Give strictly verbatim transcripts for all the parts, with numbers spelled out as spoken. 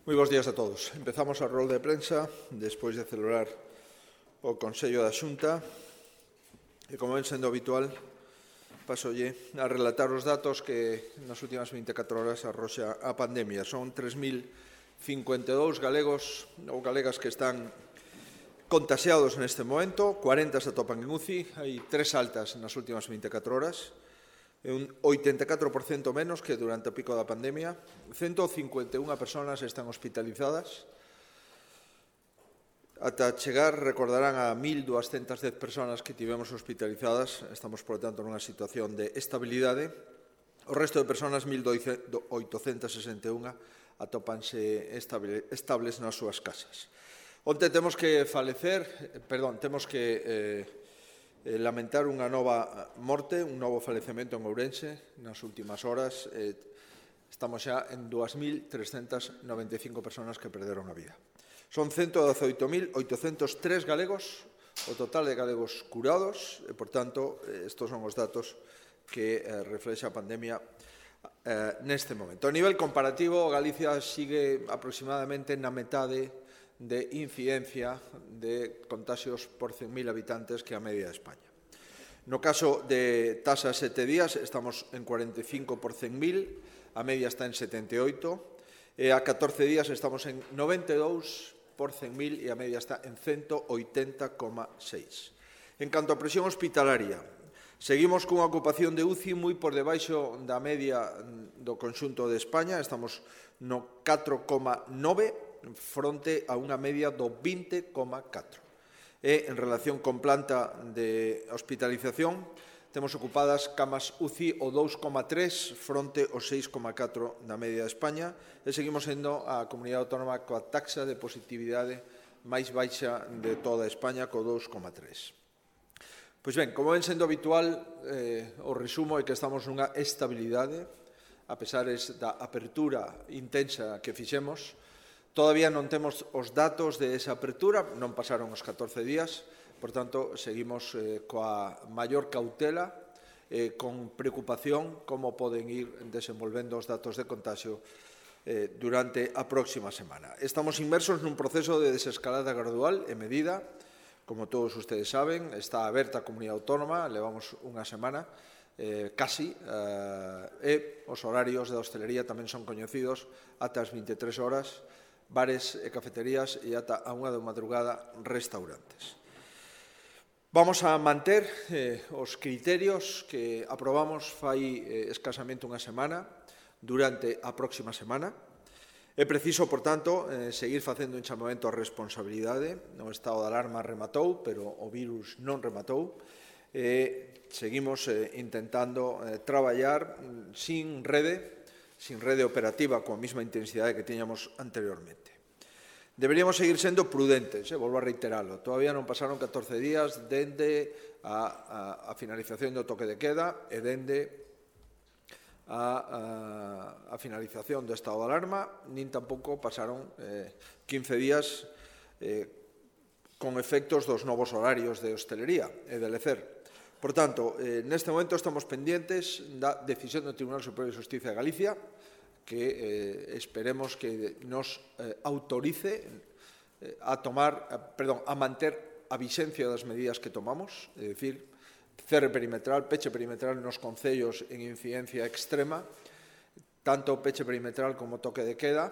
Moi bons días a todos. Empezamos a rol de prensa despois de celebrar o Consello da Xunta e, como ven sendo habitual, pasolle a relatar os datos que nas últimas vinte e catro horas arroxa a pandemia. Son tres mil cincuenta e dous galegos ou galegas que están contaxiados neste momento, corenta se atopan en U C I, hai tres altas nas últimas vinte e catro horas, é un oitenta e catro por cento menos que durante o pico da pandemia. cento cincuenta e unha persoas están hospitalizadas. Ata chegar, recordarán, a mil doscientas dez persoas que tivemos hospitalizadas. Estamos, por tanto, nunha situación de estabilidade. O resto de persoas, mil oitocentas sesenta e unha, atópanse estables nas súas casas. Onte temos que falecer, perdón, temos que eh, lamentar unha nova morte, un novo falecemento en Ourense nas últimas horas. Eh, estamos xa en dúas mil trescentas noventa e cinco persoas que perderon a vida. Son ciento dezoito mil oitocentos tres galegos, o total de galegos curados, e, por tanto, estes son os datos que eh, reflexa a pandemia eh, neste momento. A nivel comparativo, Galicia sigue aproximadamente na metade de incidencia de contaxios por cen mil habitantes que a media de España. No caso de tasa sete días, estamos en cuarenta e cinco por cen mil, a media está en setenta e oito, e a catorce días estamos en noventa e dous por cen mil e a media está en ciento oitenta coma seis. En canto a presión hospitalaria, seguimos cunha ocupación de U C I moi por debaixo da media do conxunto de España, estamos no catro coma nove fronte a unha media do vinte coma catro. E, en relación con planta de hospitalización, temos ocupadas camas U C I o dous coma tres fronte ao seis coma catro da media de España, e seguimos sendo a comunidade autónoma coa taxa de positividade máis baixa de toda España, co dous coma tres. Pois ben, como ven sendo habitual, eh, o resumo é que estamos nunha estabilidade, a pesares da apertura intensa que fixemos. Todavía non temos os datos de esa apertura, non pasaron os catorce días, por tanto, seguimos eh, coa maior cautela, eh, con preocupación como poden ir desenvolvendo os datos de contagio eh, durante a próxima semana. Estamos inmersos nun proceso de desescalada gradual e medida. Como todos ustedes saben, está aberta a comunidade autónoma, levamos unha semana, eh, casi, eh, e os horarios da hostelería tamén son coñecidos ata as vinte e tres horas, bares e cafeterías e ata a unha da madrugada restaurantes. Vamos a manter eh, os criterios que aprobamos fai eh, escasamente unha semana durante a próxima semana. É preciso, por tanto, eh, seguir facendo un chamamento a responsabilidade. O estado de alarma rematou, pero o virus non rematou. Eh, seguimos eh, intentando eh, traballar sin rede, sin rede operativa coa mesma intensidade que tiñamos anteriormente. Deberíamos seguir sendo prudentes, eh, volvo a reiteralo. Todavía non pasaron catorce días dende a, a, a finalización do toque de queda e dende a, a, a finalización do estado de alarma, nin tampouco pasaron eh, quince días eh, con efectos dos novos horarios de hostelería e de lecer. Por tanto, eh, neste momento estamos pendientes da decisión do Tribunal Superior de Xustiza de Galicia, que eh, esperemos que nos eh, autorice eh, a tomar, a, perdón, a manter a vixencia das medidas que tomamos, é dicir, cerre perimetral, peche perimetral nos concellos en incidencia extrema, tanto peche perimetral como toque de queda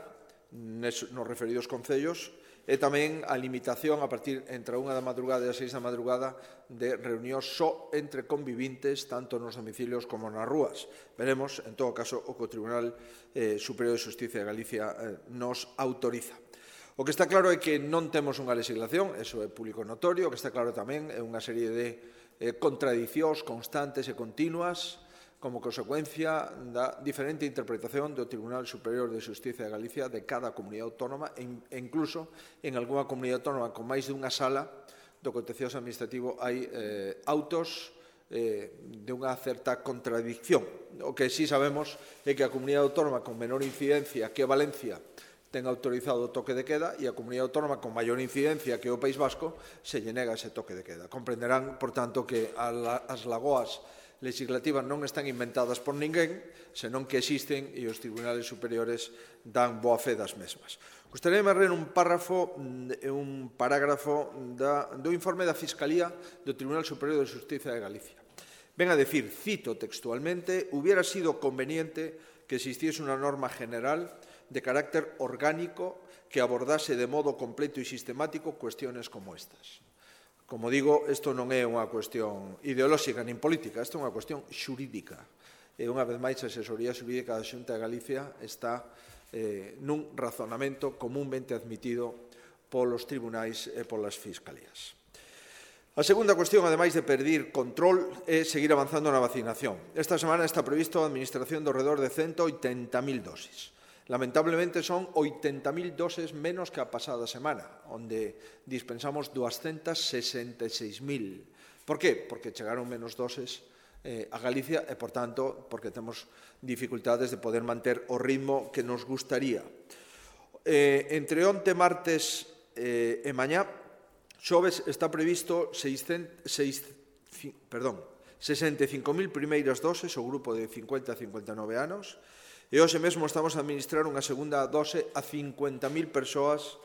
nos referidos concellos, e tamén a limitación a partir entre a unha da madrugada e as seis da madrugada de reunións só entre convivintes, tanto nos domicilios como nas rúas. Veremos, en todo caso, o que o Tribunal eh, Superior de Xustiza de Galicia eh, nos autoriza. O que está claro é que non temos unha legislación, eso é público notorio. O que está claro tamén é unha serie de eh, contradicións constantes e continuas como consecuencia da diferente interpretación do Tribunal Superior de Xustiza de Galicia de cada comunidade autónoma e incluso en algunha comunidade autónoma con máis de unha sala do contencioso administrativo hai eh, autos eh, de unha certa contradicción. O que sí sabemos é que a comunidade autónoma con menor incidencia que Valencia ten autorizado o toque de queda e a comunidade autónoma con maior incidencia que o País Vasco se lle nega ese toque de queda. Comprenderán, por tanto, que as lagoas legislativas non están inventadas por ninguén, senón que existen e os tribunales superiores dan boa fe das mesmas. Gustaríame ler un párrafo e un parágrafo da, do informe da Fiscalía do Tribunal Superior de Xustiza de Galicia. Ven a decir, cito textualmente, hubiera sido conveniente que existiese una norma general de carácter orgánico que abordase de modo completo e sistemático cuestiones como estas. Como digo, isto non é unha cuestión ideolóxica nin política, isto é unha cuestión xurídica. E unha vez máis a asesoría xurídica da Xunta de Galicia está eh, nun razonamento comúnmente admitido polos tribunais e polas fiscalías. A segunda cuestión, ademais de perder control, é seguir avanzando na vacinación. Esta semana está previsto a administración de alrededor de ciento oitenta mil dosis. Lamentablemente son oitenta mil doses menos que a pasada semana, onde dispensamos doscientas sesenta e seis mil. Por qué? Porque chegaron menos doses eh, a Galicia e, por tanto, porque temos dificultades de poder manter o ritmo que nos gustaría. Eh, entre onte, martes eh, e mañá, xoves está previsto sesenta e cinco mil primeiras doses ao grupo de cincuenta a cincuenta e nove anos e hoxe mesmo estamos a administrar unha segunda dose a cincuenta mil persoas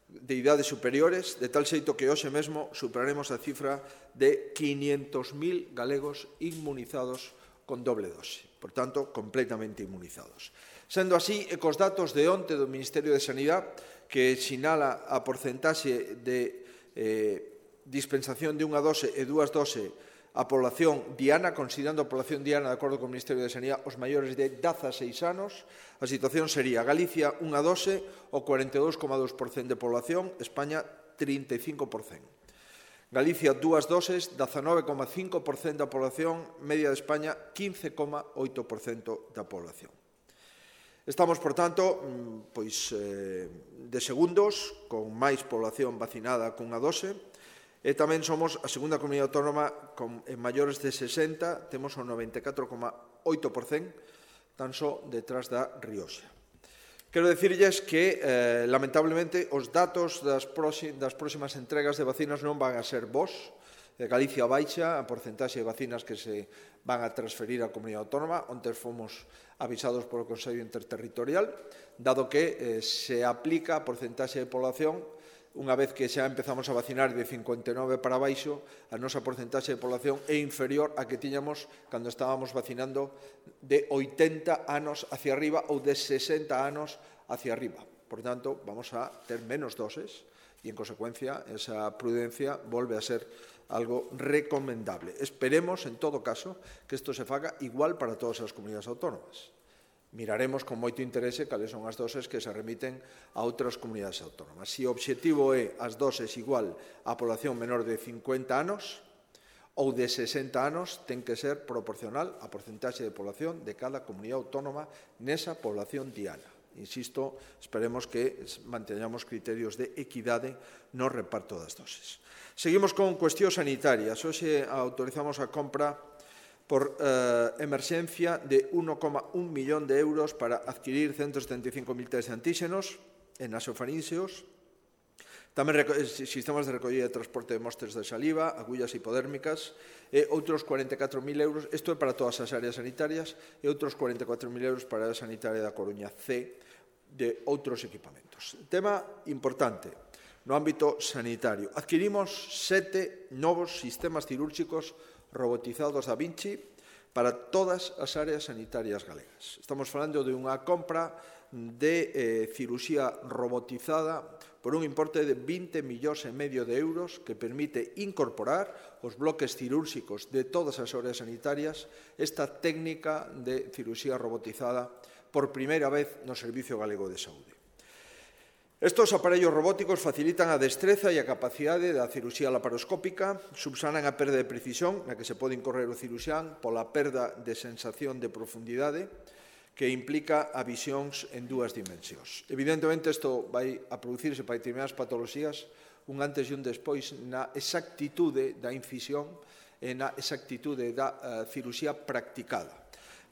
de idades superiores, de tal xeito que hoxe mesmo superaremos a cifra de quinhentos mil galegos inmunizados con doble dose, por tanto, completamente inmunizados. Sendo así, e cos datos de onte do Ministerio de Sanidade, que sinala a porcentaxe de Eh, dispensación de unha dose e dúas doses a población diana, considerando a población diana, de acordo co Ministerio de Sanidade, os maiores de dezaseis anos, a situación sería Galicia unha dose o cuarenta e dous coma dous por cento de población, España trinta e cinco por cento. Galicia dúas doses, dezanove coma cinco por cento da población, media de España quince coma oito por cento da población. Estamos, por tanto, pois, eh, de segundos, con máis población vacinada cunha dose, e tamén somos a segunda comunidade autónoma con, en maiores de sesenta, temos o noventa e catro coma oito por cento, tan só detrás da Rioxa. Quero dicirlles que, eh, lamentablemente, os datos das, das próximas entregas de vacinas non van a ser bons. Galicia baixa a porcentaxe de vacinas que se van a transferir á comunidade autónoma. Onte fomos avisados polo Consello Interterritorial, dado que eh, se aplica a porcentaxe de población, unha vez que xa empezamos a vacinar de cincuenta e nove para baixo, a nosa porcentaxe de población é inferior a que tiñamos cando estábamos vacinando de oitenta anos hacia arriba ou de sesenta anos hacia arriba. Por tanto, vamos a ter menos doses e, en consecuencia, esa prudencia volve a ser algo recomendable. Esperemos, en todo caso, que isto se faga igual para todas as comunidades autónomas. Miraremos con moito interese cales son as doses que se remiten a outras comunidades autónomas. Se o obxectivo é as doses igual á población menor de cincuenta anos ou de sesenta anos, ten que ser proporcional á porcentaxe de población de cada comunidade autónoma nesa población diana. Insisto, esperemos que manteñamos criterios de equidade no reparto das doses. Seguimos con cuestións sanitarias. Hoxe autorizamos a compra por eh, emerxencia de un coma un millón de euros para adquirir ciento setenta e cinco mil test de antíxenos en nasofarínxeos, tamén sistemas de recollida e transporte de mostres de saliva, agullas hipodérmicas e outros cuarenta e catro mil euros, isto é para todas as áreas sanitarias, e outros cuarenta e catro mil euros para a área sanitaria da Coruña C de outros equipamentos. Tema importante no ámbito sanitario. Adquirimos sete novos sistemas cirúrxicos robotizados da Vinci para todas as áreas sanitarias galegas. Estamos falando de unha compra de eh, cirurxía robotizada por un importe de vinte millóns e medio de euros que permite incorporar os bloques cirúrxicos de todas as áreas sanitarias esta técnica de cirurxía robotizada por primeira vez no Servicio Galego de Saúde. Estos aparellos robóticos facilitan a destreza e a capacidade da cirurxía laparoscópica, subsanan a perda de precisión na que se pode incorrer o ciruxán pola perda de sensación de profundidade que implica a visións en dúas dimensións. Evidentemente, isto vai a producirse para determinadas patoloxías un antes e un despois na exactitude da incisión e na exactitude da uh, cirurxía practicada.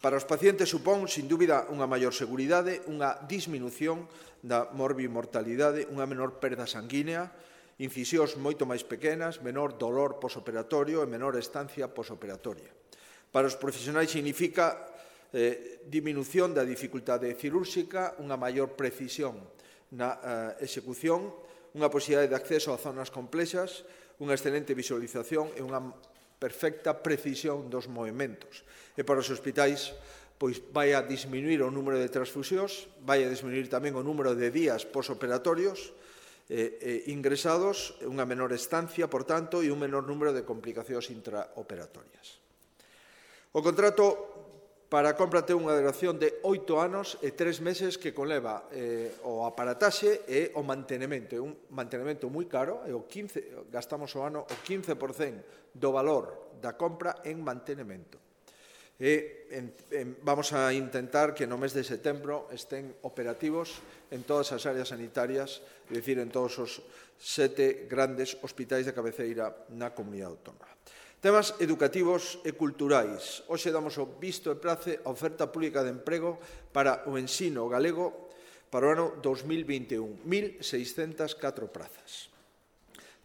Para os pacientes supón, sin dúbida, unha maior seguridade, unha disminución da morbimortalidade, unha menor perda sanguínea, incisións moito máis pequenas, menor dolor posoperatorio e menor estancia posoperatoria. Para os profesionais significa eh, diminución da dificultade cirúrxica, unha maior precisión na eh, execución, unha posibilidade de acceso a zonas complexas, unha excelente visualización e unha perfecta precisión dos movimentos. E para os hospitais, pois vai a disminuir o número de transfusións, vai a disminuir tamén o número de días posoperatorios eh, eh, ingresados, unha menor estancia, por tanto, e un menor número de complicacións intraoperatorias. O contrato para a compra ten unha duración de oito anos e tres meses que conleva eh, o aparataxe e o mantenimento. É un mantenimento moi caro, e o quince, gastamos o ano o quince por cento do valor da compra en mantenimento. E en, en, vamos a intentar que no mes de setembro estén operativos en todas as áreas sanitarias, é dicir, en todos os sete grandes hospitais de cabeceira na comunidade autónoma. Temas educativos e culturais. Hoxe damos o visto e prace a oferta pública de emprego para o ensino galego para o ano dos mil vinte e un, mil seiscentas e catro prazas.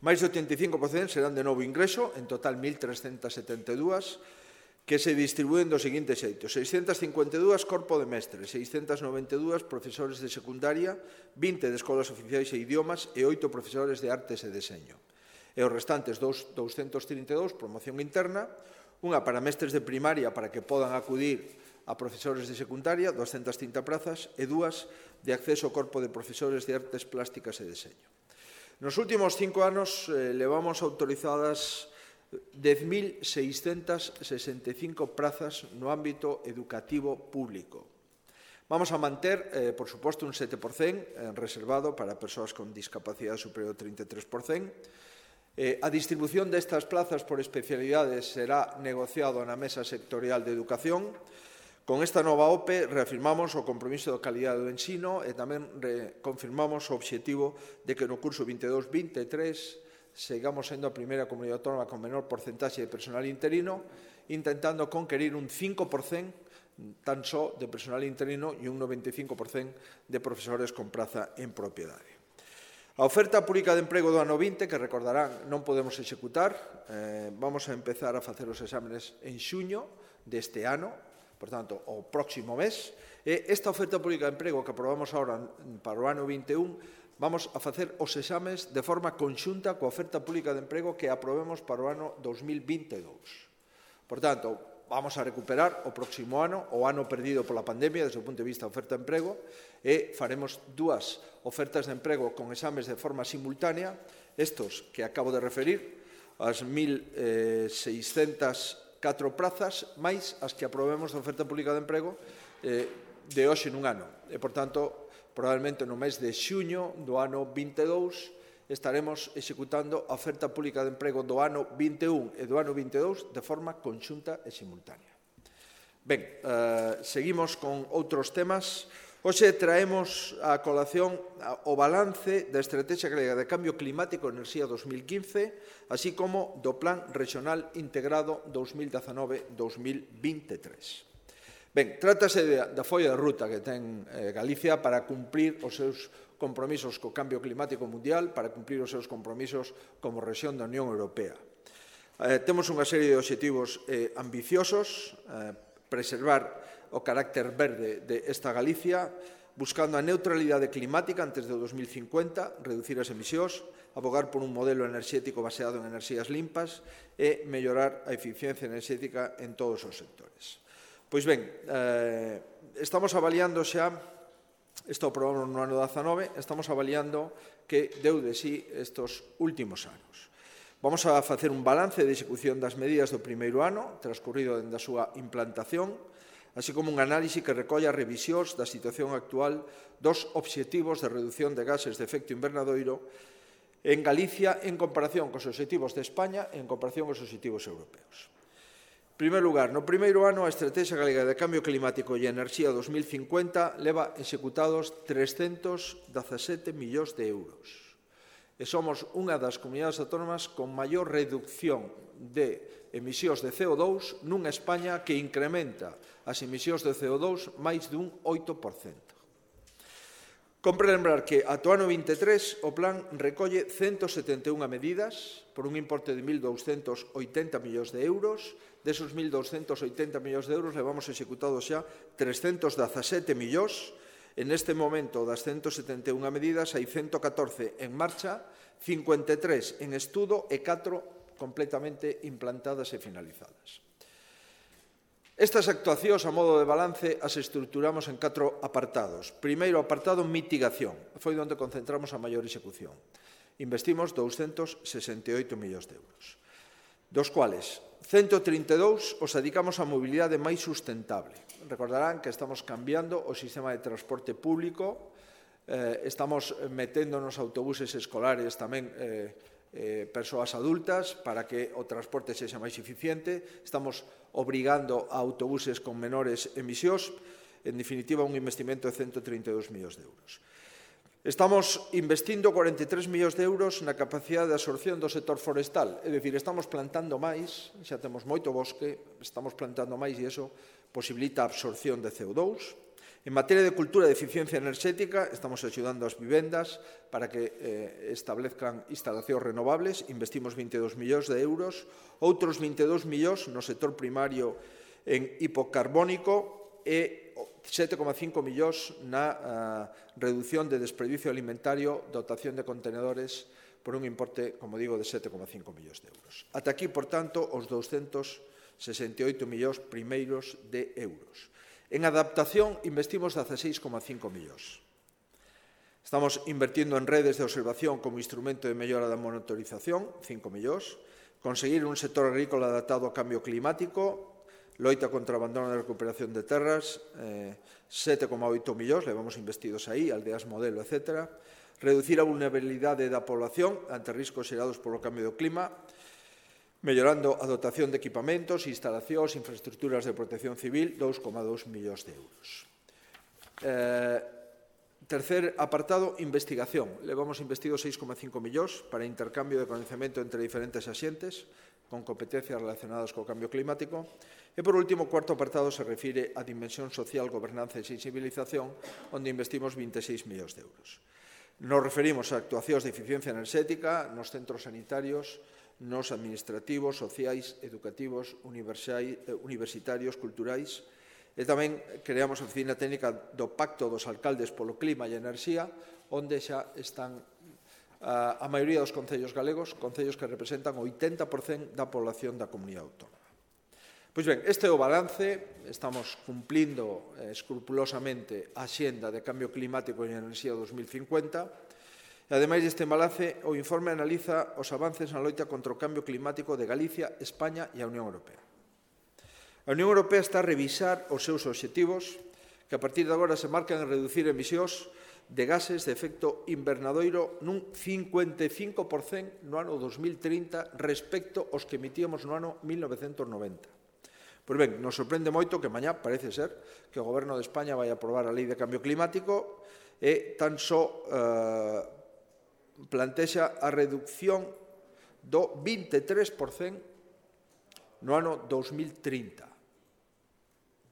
Mais do oitenta e cinco por cento serán de novo ingreso, en total mil trescentas e setenta e dúas, que se distribúen do seguinte xeito: seiscentas cincuenta e dúas corpo de mestres, seiscentas noventa e dúas profesores de secundaria, vinte de escolas oficiais e idiomas e oito profesores de artes e deseño. E os restantes douscentos trinta e dous promoción interna, unha para mestres de primaria para que podan acudir a profesores de secundaria, doscientas trinta prazas, e dúas de acceso ao corpo de profesores de artes plásticas e deseño. Nos últimos cinco anos eh, levamos autorizadas dez mil seiscentas sesenta e cinco prazas no ámbito educativo público. Vamos a manter, eh, por suposto, un sete por cento eh, reservado para persoas con discapacidade superior ao trinta e tres por cento. Eh, a distribución destas plazas por especialidades será negociado na Mesa Sectorial de Educación. Con esta nova O P E reafirmamos o compromiso da calidade do ensino e tamén confirmamos o obxectivo de que no curso vinte e dous vinte e tres sigamos sendo a primeira comunidade autónoma con menor porcentaxe de personal interino, intentando conquerir un cinco por cento tan só de personal interino e un noventa e cinco por cento de profesores con praza en propiedade. A oferta pública de emprego do ano vinte, que recordarán, non podemos executar, eh, vamos a empezar a facer os exámenes en xuño deste ano, por tanto, o próximo mes, e esta oferta pública de emprego que aprobamos agora para o ano vinte e un, vamos a facer os exames de forma conxunta coa oferta pública de emprego que aprobemos para o ano dos mil vinte e dous. Por tanto, vamos a recuperar o próximo ano, o ano perdido pola pandemia, desde o punto de vista da oferta de emprego, e faremos dúas ofertas de emprego con exames de forma simultánea, estos que acabo de referir, as mil seiscentas e catro prazas, máis as que aprobemos da oferta pública de emprego eh, de hoxe nun ano. E, por tanto, probablemente no mes de xuño do ano vinte e dous, estaremos executando a oferta pública de emprego do ano vinte e un e do ano vinte e dous de forma conxunta e simultánea. Ben, eh, seguimos con outros temas. Hoxe traemos a colación o balance da Estrategia Galega de Cambio Climático e Enerxía dos mil quince, así como do Plan Regional Integrado dos mil dezanove a dos mil vinte e tres. Ben, trátase da folla de ruta que ten eh, Galicia para cumprir os seus compromisos co cambio climático mundial, para cumprir os seus compromisos como rexión da Unión Europea. Eh, temos unha serie de obxectivos eh, ambiciosos, eh, preservar o carácter verde de esta Galicia, buscando a neutralidade climática antes do dos mil cincuenta, reducir as emisións, abogar por un modelo enerxético baseado en enerxías limpas e mellorar a eficiencia enerxética en todos os sectores. Pois ben, eh, estamos avaliando xa, isto aprobamos no ano dezanove, estamos avaliando que deu de sí estes últimos anos. Vamos a facer un balance de execución das medidas do primeiro ano, transcurrido dende a súa implantación, así como un análise que recolla revisións da situación actual dos obxectivos de reducción de gases de efecto invernadoiro en Galicia en comparación cos obxectivos de España e en comparación cos obxectivos europeos. En primeiro lugar, no primeiro ano, a Estrategia Galega de Cambio Climático e Enerxía dos mil cincuenta leva executados trescentos dezasete millóns de euros. E somos unha das comunidades autónomas con maior reducción de emisións de C O dous nunha España que incrementa as emisións de C O dous máis dun oito por cento. Compre lembrar que ata o ano vinte e tres o plan recolle ciento setenta e unha medidas por un importe de mil douscentos oitenta millóns de euros. Desos mil douscentos oitenta millóns de euros levamos executados xa trescentos dezasete millóns. En este momento das ciento setenta e unha medidas hai ciento catorce en marcha, cincuenta e tres en estudo e catro completamente implantadas e finalizadas. Estas actuacións, a modo de balance, as estruturamos en catro apartados. Primeiro apartado, mitigación. Foi onde concentramos a maior execución. Investimos doscientos sesenta e oito millóns de euros, dos cuales ciento trinta e dous os dedicamos á mobilidade máis sustentable. Recordarán que estamos cambiando o sistema de transporte público, eh, estamos metendo nos autobuses escolares tamén eh, eh, persoas adultas para que o transporte sexa máis eficiente, estamos obrigando a autobuses con menores emisións, en definitiva un investimento de ciento trinta e dous millóns de euros. Estamos investindo cuarenta e tres millóns de euros na capacidade de absorción do sector forestal, é dicir, estamos plantando máis, xa temos moito bosque, estamos plantando máis e iso posibilita a absorción de C O dous. En materia de cultura de eficiencia enerxética, estamos axudando as vivendas para que eh, establezcan instalacións renovables, investimos vinte e dous millóns de euros, outros vinte e dous millóns no sector primario en hipocarbónico e sete coma cinco millóns na uh, reducción de desperdicio alimentario, dotación de contenedores por un importe, como digo, de sete coma cinco millóns de euros. Ata aquí, por tanto, os doscientos sesenta e oito millóns primeiros de euros. En adaptación investimos dezaseis coma cinco millóns. Estamos invertindo en redes de observación como instrumento de mellora da monitorización, cinco millóns. Conseguir un sector agrícola adaptado ao cambio climático, loita contra o abandono e recuperación de terras, eh, sete coma oito millóns, levamos investidos aí, aldeas modelo, etcétera. Reducir a vulnerabilidade da población ante riscos xerados polo cambio do clima, mellorando a dotación de equipamentos, instalacións, infraestructuras de protección civil, dous coma dous millóns de euros. Eh, tercer apartado, investigación. Levamos investido seis coma cinco millóns para intercambio de conocemento entre diferentes axentes con competencias relacionadas co cambio climático. E, por último, o cuarto apartado se refire á dimensión social, gobernanza e sensibilización, onde investimos vinte e seis millóns de euros. Nos referimos a actuacións de eficiencia enerxética nos centros sanitarios, nos administrativos, sociais, educativos, universitarios, culturais, e tamén creamos a oficina técnica do Pacto dos Alcaldes polo Clima e Enerxía, onde xa están a, a maioría dos concellos galegos, concellos que representan o oitenta por cento da población da comunidade autónoma. Pois ben, este é o balance, estamos cumplindo eh, escrupulosamente a xenda de cambio climático e enerxía dos mil cincuenta. E, ademais deste balance, o informe analiza os avances na loita contra o cambio climático de Galicia, España e a Unión Europea. A Unión Europea está a revisar os seus obxectivos, que a partir de agora se marcan en reducir emisións de gases de efecto invernadoiro nun cincuenta e cinco por cento no ano dos mil trinta respecto aos que emitíamos no ano mil novecentos noventa. Pois ben, nos sorprende moito que mañá parece ser que o Goberno de España vai aprobar a Lei de Cambio Climático e tan só eh, plantexa a reducción do vinte e tres por cento no ano dos mil trinta.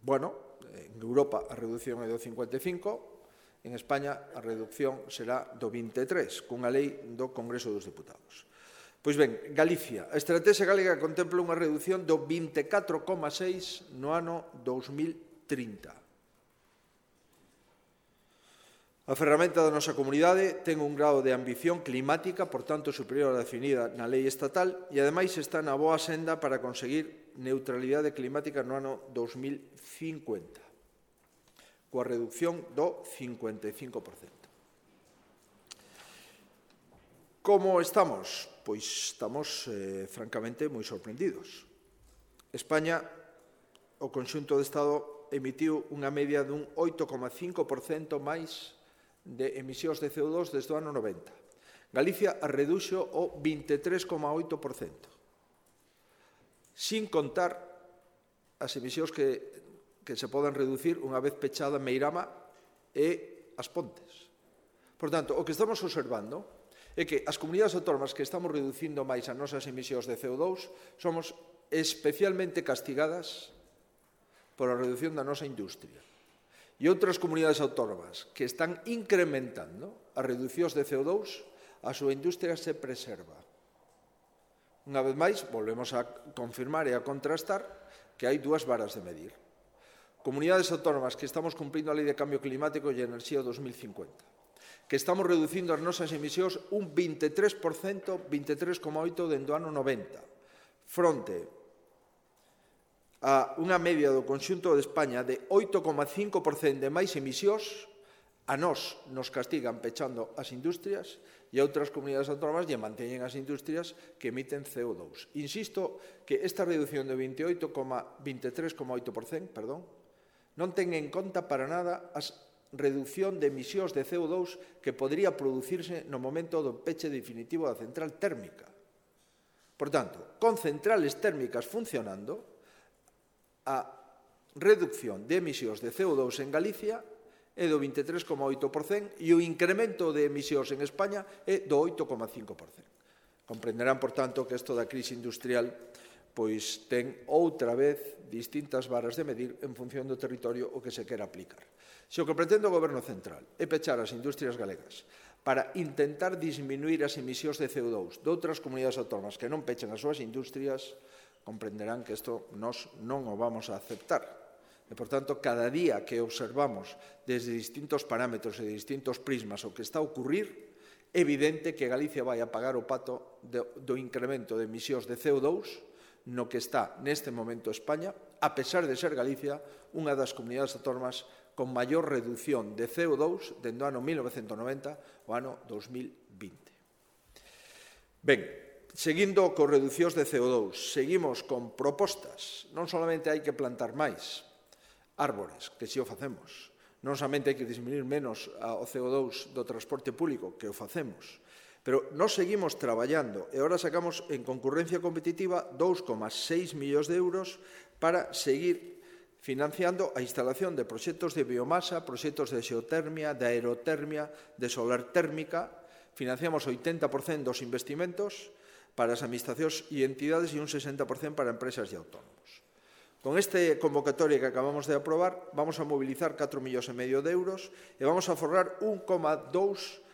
Bueno, en Europa a reducción é do cincuenta e cinco, en España a reducción será do vinte e tres, cunha lei do Congreso dos Deputados. Pois ben, Galicia. A estrategia galega contempla unha reducción do vinte e catro coma seis no ano dos mil trinta. A ferramenta da nosa comunidade ten un grado de ambición climática, por tanto, superior á definida na lei estatal e, ademais, está na boa senda para conseguir neutralidade climática no ano dos mil cincuenta, coa reducción do cincuenta e cinco por cento. Como estamos? Pois estamos, eh, francamente, moi sorprendidos. España, o conxunto do Estado, emitiu unha media dun oito coma cinco por cento máis de emisións de C O dos desde o ano noventa. Galicia a reduxo o vinte e tres coma oito por cento. Sin contar as emisións que, que se poden reducir unha vez pechada Meirama e as Pontes. Por tanto, o que estamos observando é que as comunidades autónomas que estamos reducindo máis as nosas emisións de C O dos somos especialmente castigadas por a reducción da nosa industria. e outras comunidades autónomas que están incrementando as reducións de C O dous, a súa industria se preserva. Unha vez máis, volvemos a confirmar e a contrastar que hai dúas varas de medir. Comunidades autónomas que estamos cumprindo a Lei de Cambio Climático e Enerxía dos mil cincuenta, que estamos reducindo as nosas emisións un veintitrés por cento, veintitrés coma oito por cento dentro do ano noventa, fronte a unha media do conxunto de España de oito coma cinco por cento de máis emisións. A nós nos castigan pechando as industrias e a outras comunidades autónomas lle manteñen as industrias que emiten C O dous. Insisto que esta reducción de veintitrés coma oito por cento perdón, non ten en conta para nada a reducción de emisións de C O dous que podría producirse no momento do peche definitivo da central térmica. Por tanto, con centrales térmicas funcionando, a reducción de emisións de C O dous en Galicia é do veintitrés coma oito por cento e o incremento de emisións en España é do oito coma cinco por cento. Comprenderán, por tanto, que isto da crise industrial pois ten outra vez distintas varas de medir en función do territorio o que se quera aplicar. Se o que pretende o Goberno central é pechar as industrias galegas para intentar disminuir as emisións de C O dous de outras comunidades autónomas que non pechen as súas industrias, comprenderán que isto nós non o vamos a aceptar. E, por tanto, cada día que observamos desde distintos parámetros e distintos prismas o que está a ocurrir, é evidente que Galicia vai a pagar o pato do, do incremento de emisións de C O dous no que está neste momento España, a pesar de ser Galicia unha das comunidades autónomas con maior reducción de C O dous dende o ano mil novecentos noventa ao ano dos mil vinte. Ben, seguindo con reducións de C O dous, seguimos con propostas. Non solamente hai que plantar máis árbores, que si o facemos. Non somente hai que disminuir menos o C O dous do transporte público, que o facemos, pero nós seguimos traballando e agora sacamos en concurrencia competitiva dous coma seis millóns de euros para seguir financiando a instalación de proxectos de biomasa, proxectos de xeotermia, de aerotermia, de solar térmica. Financiamos o oitenta por cento dos investimentos para as administracións e entidades e un sesenta por cento para empresas e autónomos. Con esta convocatoria que acabamos de aprobar, vamos a mobilizar catro millóns e medio de euros e vamos a forrar un coma dous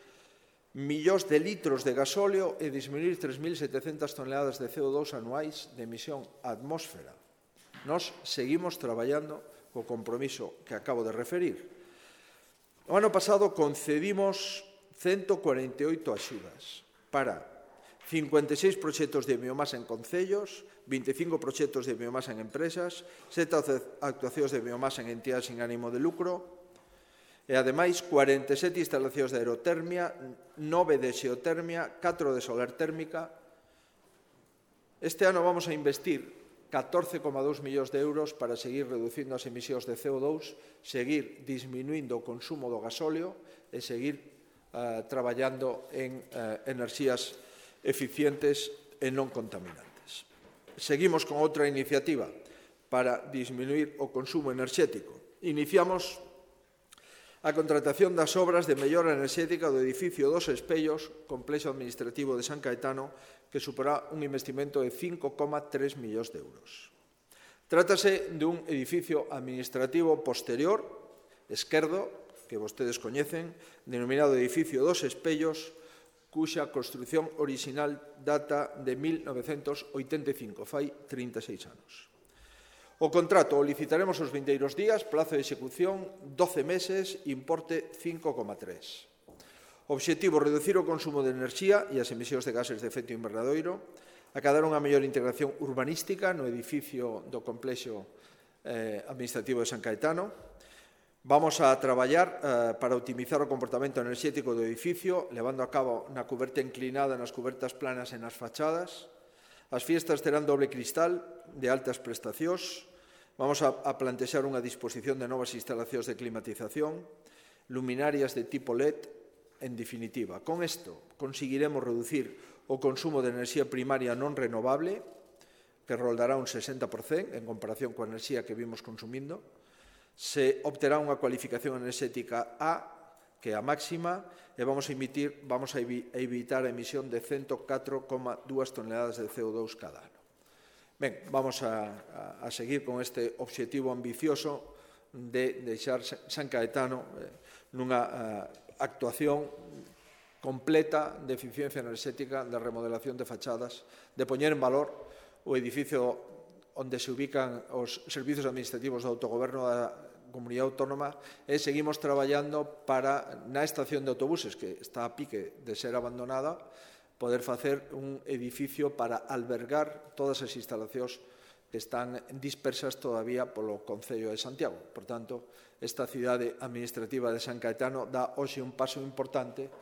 millóns de litros de gasóleo e disminuir tres mil setecentas toneladas de C O dous anuais de emisión á atmósfera. Nós seguimos traballando co compromiso que acabo de referir. O ano pasado concedimos ciento cuarenta e oito axudas para cincuenta e seis proxectos de biomasa en concellos, vinte e cinco proxectos de biomasa en empresas, sete actuacións de biomasa en entidades sin ánimo de lucro e, ademais, cuarenta e sete instalacións de aerotermia, nove de xeotermia, catro de solar térmica. Este ano vamos a investir catorce coma dous millóns de euros para seguir reducindo as emisións de C O dous, seguir disminuindo o consumo do gasóleo e seguir uh, traballando en uh, enerxías eficientes e non contaminantes. Seguimos con outra iniciativa para disminuir o consumo enerxético. Iniciamos a contratación das obras de mellora enerxética do edificio dos Espellos, complexo administrativo de San Caetano, que supera un investimento de cinco coma tres millóns de euros. Trátase dun edificio administrativo posterior, esquerdo, que vostedes coñecen, denominado edificio dos Espellos, cuxa construción orixinal data de mil novecentos oitenta e cinco, fai trinta e seis anos. O contrato o licitaremos os vindeiros días, plazo de execución doce meses, importe cinco coma tres. Obxectivo, reducir o consumo de enerxía e as emisións de gases de efecto invernadoiro, acadar unha mellor integración urbanística no edificio do complexo eh, administrativo de San Caetano. Vamos a traballar eh, para optimizar o comportamento enerxético do edificio, levando a cabo na cuberta inclinada, nas cubertas planas e nas fachadas. As fiestas terán doble cristal de altas prestacións. Vamos a, a plantexar unha disposición de novas instalacións de climatización, luminarias de tipo L E D, en definitiva. Con isto conseguiremos reducir o consumo de enerxía primaria non renovable, que roldará un sesenta por cento en comparación coa enerxía que vimos consumindo. Se obterá unha cualificación enerxética A, que é a máxima, e vamos a, emitir, vamos a evitar a emisión de ciento catro coma dúas toneladas de C O dous cada ano. Ben, vamos a, a, a seguir con este obxectivo ambicioso de deixar San Caetano nunha actuación completa de eficiencia enerxética, de remodelación de fachadas, de poñer en valor o edificio onde se ubican os servizos administrativos do autogoberno da Comunidade Autónoma, e seguimos traballando para, na estación de autobuses, que está a pique de ser abandonada, poder facer un edificio para albergar todas as instalacións que están dispersas todavía polo Concello de Santiago. Por tanto, esta cidade administrativa de San Caetano dá hoxe un paso importante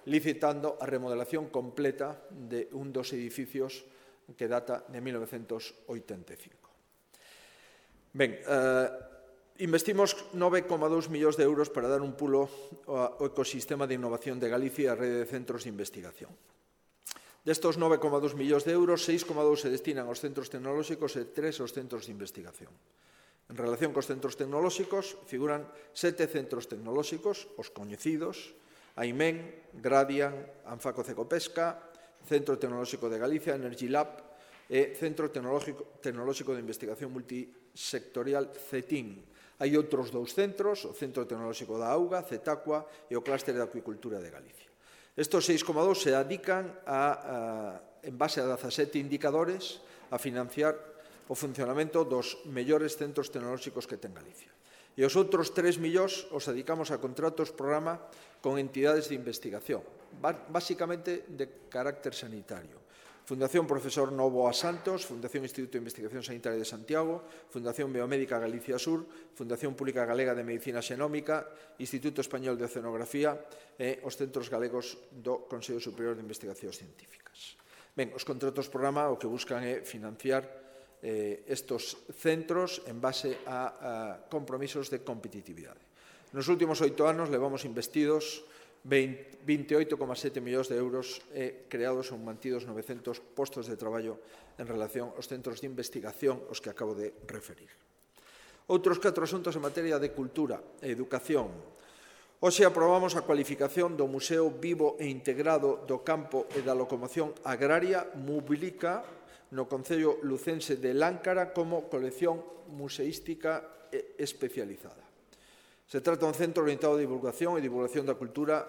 licitando a remodelación completa de un dos edificios que data de mil novecentos oitenta e cinco. Ben, eh, investimos nove coma dous millóns de euros para dar un pulo ao ecosistema de innovación de Galicia e a rede de centros de investigación. Destos nove coma dous millóns de euros, seis coma dous se destinan aos centros tecnolóxicos e tres aos centros de investigación. En relación cos centros tecnolóxicos, figuran sete centros tecnolóxicos, os coñecidos, AIMEN, Gradian, Anfaco Cecopesca, Centro Tecnolóxico de Galicia, Energy Lab e Centro Tecnolóxico, Tecnolóxico de Investigación Multisectorial CETIN. Hai outros dous centros, o Centro Tecnolóxico da Auga, CETACUA e o Clúster de Acuicultura de Galicia. Estos seis coma dous se dedican, a, a, en base a dezasete indicadores, a financiar o funcionamento dos mellores centros tecnolóxicos que ten Galicia. E os outros tres millóns os dedicamos a contratos programa con entidades de investigación, basicamente de carácter sanitario. Fundación Profesor Novoa Santos, Fundación Instituto de Investigación Sanitaria de Santiago, Fundación Biomédica Galicia Sur, Fundación Pública Galega de Medicina Xenómica, Instituto Español de Oceanografía e os centros galegos do Consello Superior de Investigacións Científicas. Ben, os contratos programa o que buscan é financiar eh, estos centros en base a, a compromisos de competitividade. Nos últimos oito anos levamos investidos veintioito coma sete millóns de euros e creados ou mantidos novecentos postos de traballo en relación aos centros de investigación aos que acabo de referir. Outros catro asuntos en materia de cultura e educación. Hoxe aprobamos a cualificación do Museo Vivo e Integrado do Campo e da Locomoción Agraria Mublica no Concello Lucense de Láncara como colección museística especializada. Se trata de un centro orientado a divulgación e divulgación da cultura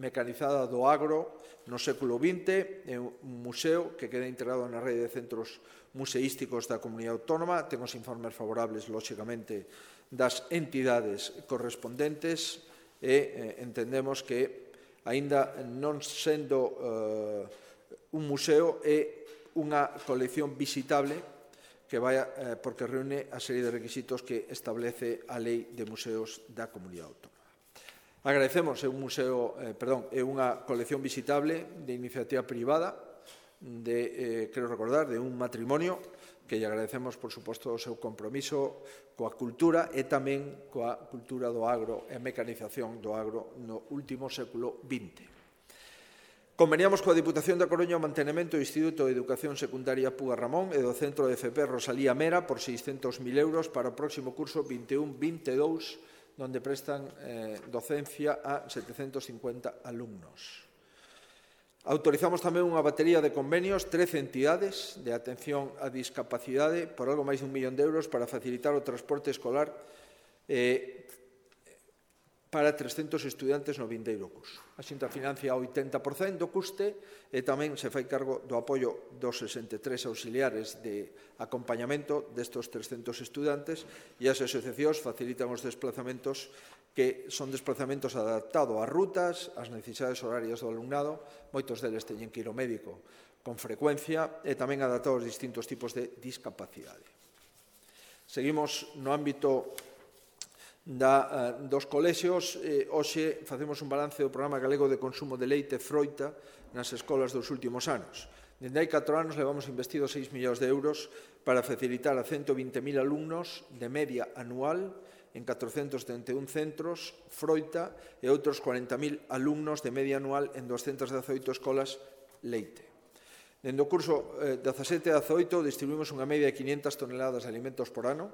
mecanizada do agro no século vinte, é un museo que queda integrado na rede de centros museísticos da Comunidade Autónoma, ten os informes favorables, lóxicamente, das entidades correspondentes e eh, entendemos que, aínda non sendo eh, un museo, é unha colección visitable que vai, eh, porque reúne a serie de requisitos que establece a Lei de Museos da Comunidade Autónoma. Agradecemos, é un museo, eh, perdón, é unha colección visitable de iniciativa privada, de, eh, quero recordar, de un matrimonio, que lle agradecemos, por suposto, o seu compromiso coa cultura e tamén coa cultura do agro e a mecanización do agro no último século vinte. Conveniamos coa Diputación da Coruña o mantenimento do Instituto de Educación Secundaria Puga Ramón e do Centro de F P Rosalía Mera por seiscentos mil euros para o próximo curso vinte e un vinte e dous, donde prestan eh, docencia a setecentos cincuenta alumnos. Autorizamos tamén unha batería de convenios, trece entidades de atención á discapacidade por algo máis de un millón de euros para facilitar o transporte escolar eh, para trescentos estudantes no vindeiro curso. A Xunta financia o oitenta por cento do custe e tamén se fai cargo do apoio dos sesenta e tres auxiliares de acompañamento destos trescentos estudantes e as asociacións facilitan os desplazamentos que son desplazamentos adaptados ás rutas, ás necesidades horarias do alumnado, moitos deles teñen que ir ao médico con frecuencia e tamén adaptados aos distintos tipos de discapacidade. Seguimos no ámbito Da, dos colexios. Eh, hoxe facemos un balance do programa galego de consumo de leite e froita nas escolas dos últimos anos. Dende hai catro anos levamos investido seis millóns de euros para facilitar a ciento vinte mil alumnos de media anual en catrocentos setenta e un centros froita e outros cuarenta mil alumnos de media anual en doscientas dezaoito escolas leite. Dende o curso eh, dezasete a dezaoito distribuímos unha media de quinhentas toneladas de alimentos por ano.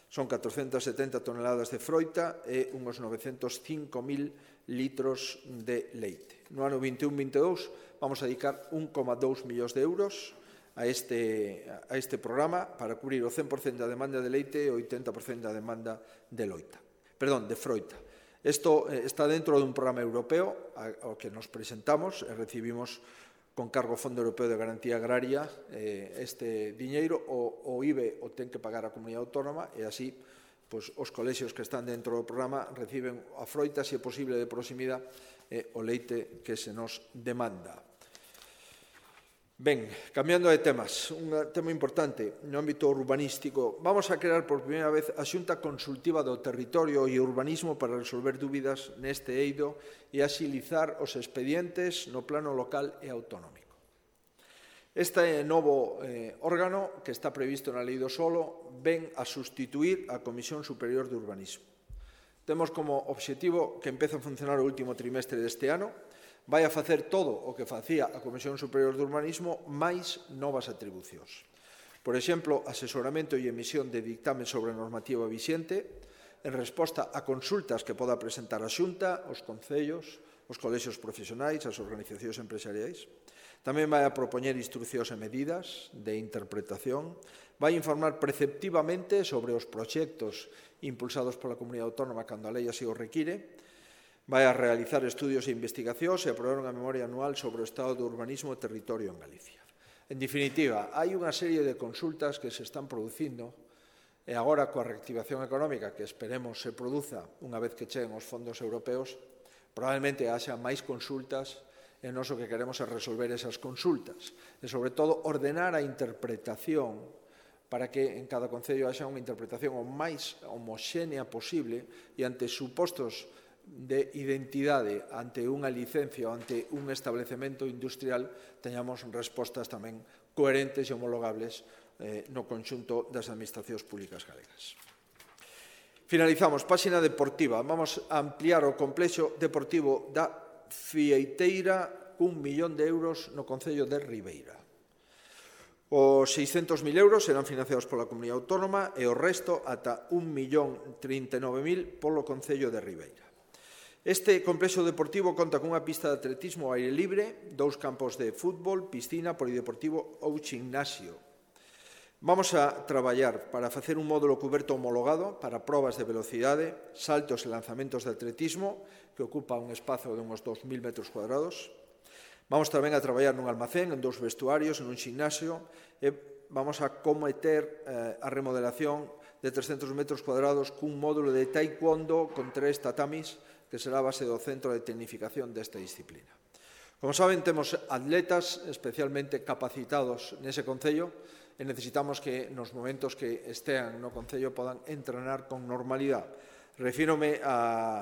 Son catrocentas setenta toneladas de froita e uns novecentos cinco mil litros de leite. No ano vinte e un vinte e dous vamos a dedicar un coma dous millóns de euros a este, a este programa para cubrir o cen por cento da demanda de leite e o oitenta por cento da demanda de loita. perdón, de froita. Isto eh, está dentro dun programa europeo ao que nos presentamos e recibimos con cargo ao Fondo Europeo de Garantía Agraria eh, este diñeiro, o, o I B E o ten que pagar a comunidade autónoma e así pois, os colexios que están dentro do programa reciben a froita, se é posible, de proximidade e o leite que se nos demanda. Ben, cambiando de temas, un tema importante no ámbito urbanístico. Vamos a crear por primeira vez a Xunta Consultiva do Territorio e Urbanismo para resolver dúbidas neste eido e axilizar os expedientes no plano local e autonómico. Este novo eh, órgano, que está previsto na Lei do Solo, ven a sustituir a Comisión Superior de Urbanismo. Temos como obxectivo que empece a funcionar o último trimestre deste ano, vai a facer todo o que facía a Comisión Superior de Urbanismo máis novas atribucións. Por exemplo, asesoramento e emisión de dictamen sobre a normativa vixente en resposta a consultas que poda presentar a Xunta, os concellos, os colexios profesionais, as organizacións empresariais. Tamén vai a propoñer instruccións e medidas de interpretación, vai informar preceptivamente sobre os proxectos impulsados pola Comunidade Autónoma cando a lei así o require, vai a realizar estudios e investigacións e aprobar unha memoria anual sobre o estado do urbanismo e territorio en Galicia. En definitiva, hai unha serie de consultas que se están producindo e agora coa reactivación económica que esperemos se produza unha vez que cheguen os fondos europeos, probablemente haxa máis consultas e nós o que queremos é resolver esas consultas e, sobre todo, ordenar a interpretación para que en cada concello haxa unha interpretación o máis homoxénea posible e ante supostos de identidade ante unha licencia ou ante un establecemento industrial teñamos respostas tamén coherentes e homologables eh, no conxunto das administracións públicas galegas. Finalizamos, páxina deportiva. Vamos a ampliar o complexo deportivo da Fieiteira cun millón de euros no Concello de Ribeira. Os seiscentos mil euros serán financiados pola Comunidade Autónoma e o resto ata un millón trinta e nove mil polo Concello de Ribeira. Este complexo deportivo conta cunha pista de atletismo ao aire libre, dous campos de fútbol, piscina, polideportivo ou gimnasio. Vamos a traballar para facer un módulo cuberto homologado para probas de velocidade, saltos e lanzamentos de atletismo, que ocupa un espazo de uns dos mil metros cuadrados. Vamos tamén a traballar nun almacén, en dous vestuarios, en un gimnasio, e vamos a cometer eh, a remodelación de trescentos metros cuadrados cun módulo de taekwondo con tres tatamis, que será a base do centro de tecnificación desta disciplina. Como saben, temos atletas especialmente capacitados nese concello e necesitamos que nos momentos que estean no concello podan entrenar con normalidade. Refírome a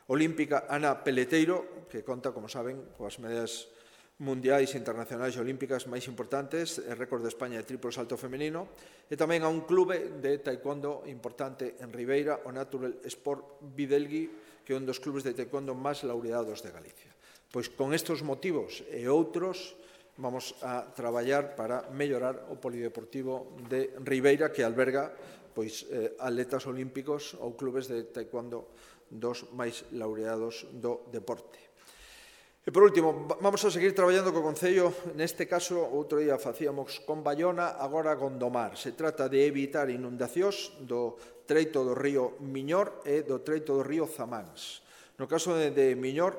olímpica Ana Peleteiro, que conta, como saben, coas medallas mundiais, internacionais e olímpicas máis importantes, e récord de España de triplo salto femenino, e tamén a un clube de taekwondo importante en Ribeira, o Natural Sport Videlgui, que é un dos clubes de taekwondo máis laureados de Galicia. Pois con estes motivos e outros vamos a traballar para mellorar o polideportivo de Ribeira, que alberga pois, eh, atletas olímpicos ou clubes de taekwondo dos máis laureados do deporte. E, por último, vamos a seguir traballando co Concello, neste caso, outro día facíamos con Bayona, agora Gondomar. Se trata de evitar inundacións do treito do río Miñor e do treito do río Zamáns. No caso de, de Miñor,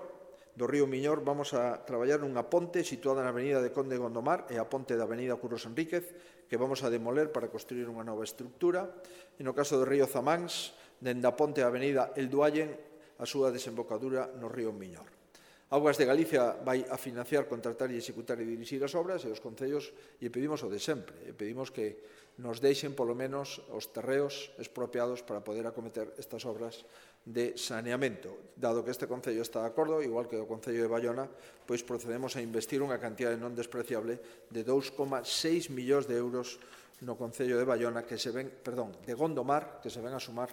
do río Miñor, vamos a traballar nunha ponte situada na avenida de Conde Gondomar e a ponte da avenida Curros Enríquez, que vamos a demoler para construir unha nova estructura. E no caso do río Zamáns, dende a ponte da avenida El Duallen, a súa desembocadura no río Miñor. Augas de Galicia vai a financiar, contratar e executar e dirixir as obras e os concellos lle pedimos o de sempre. E pedimos que nos deixen polo menos os terreos expropiados para poder acometer estas obras de saneamento. Dado que este concello está de acordo, igual que o concello de Bayona, pois procedemos a investir unha cantidade non despreciable de dous coma seis millóns de euros no concello de Bayona, que se ven, perdón, de Gondomar, que se ven a sumar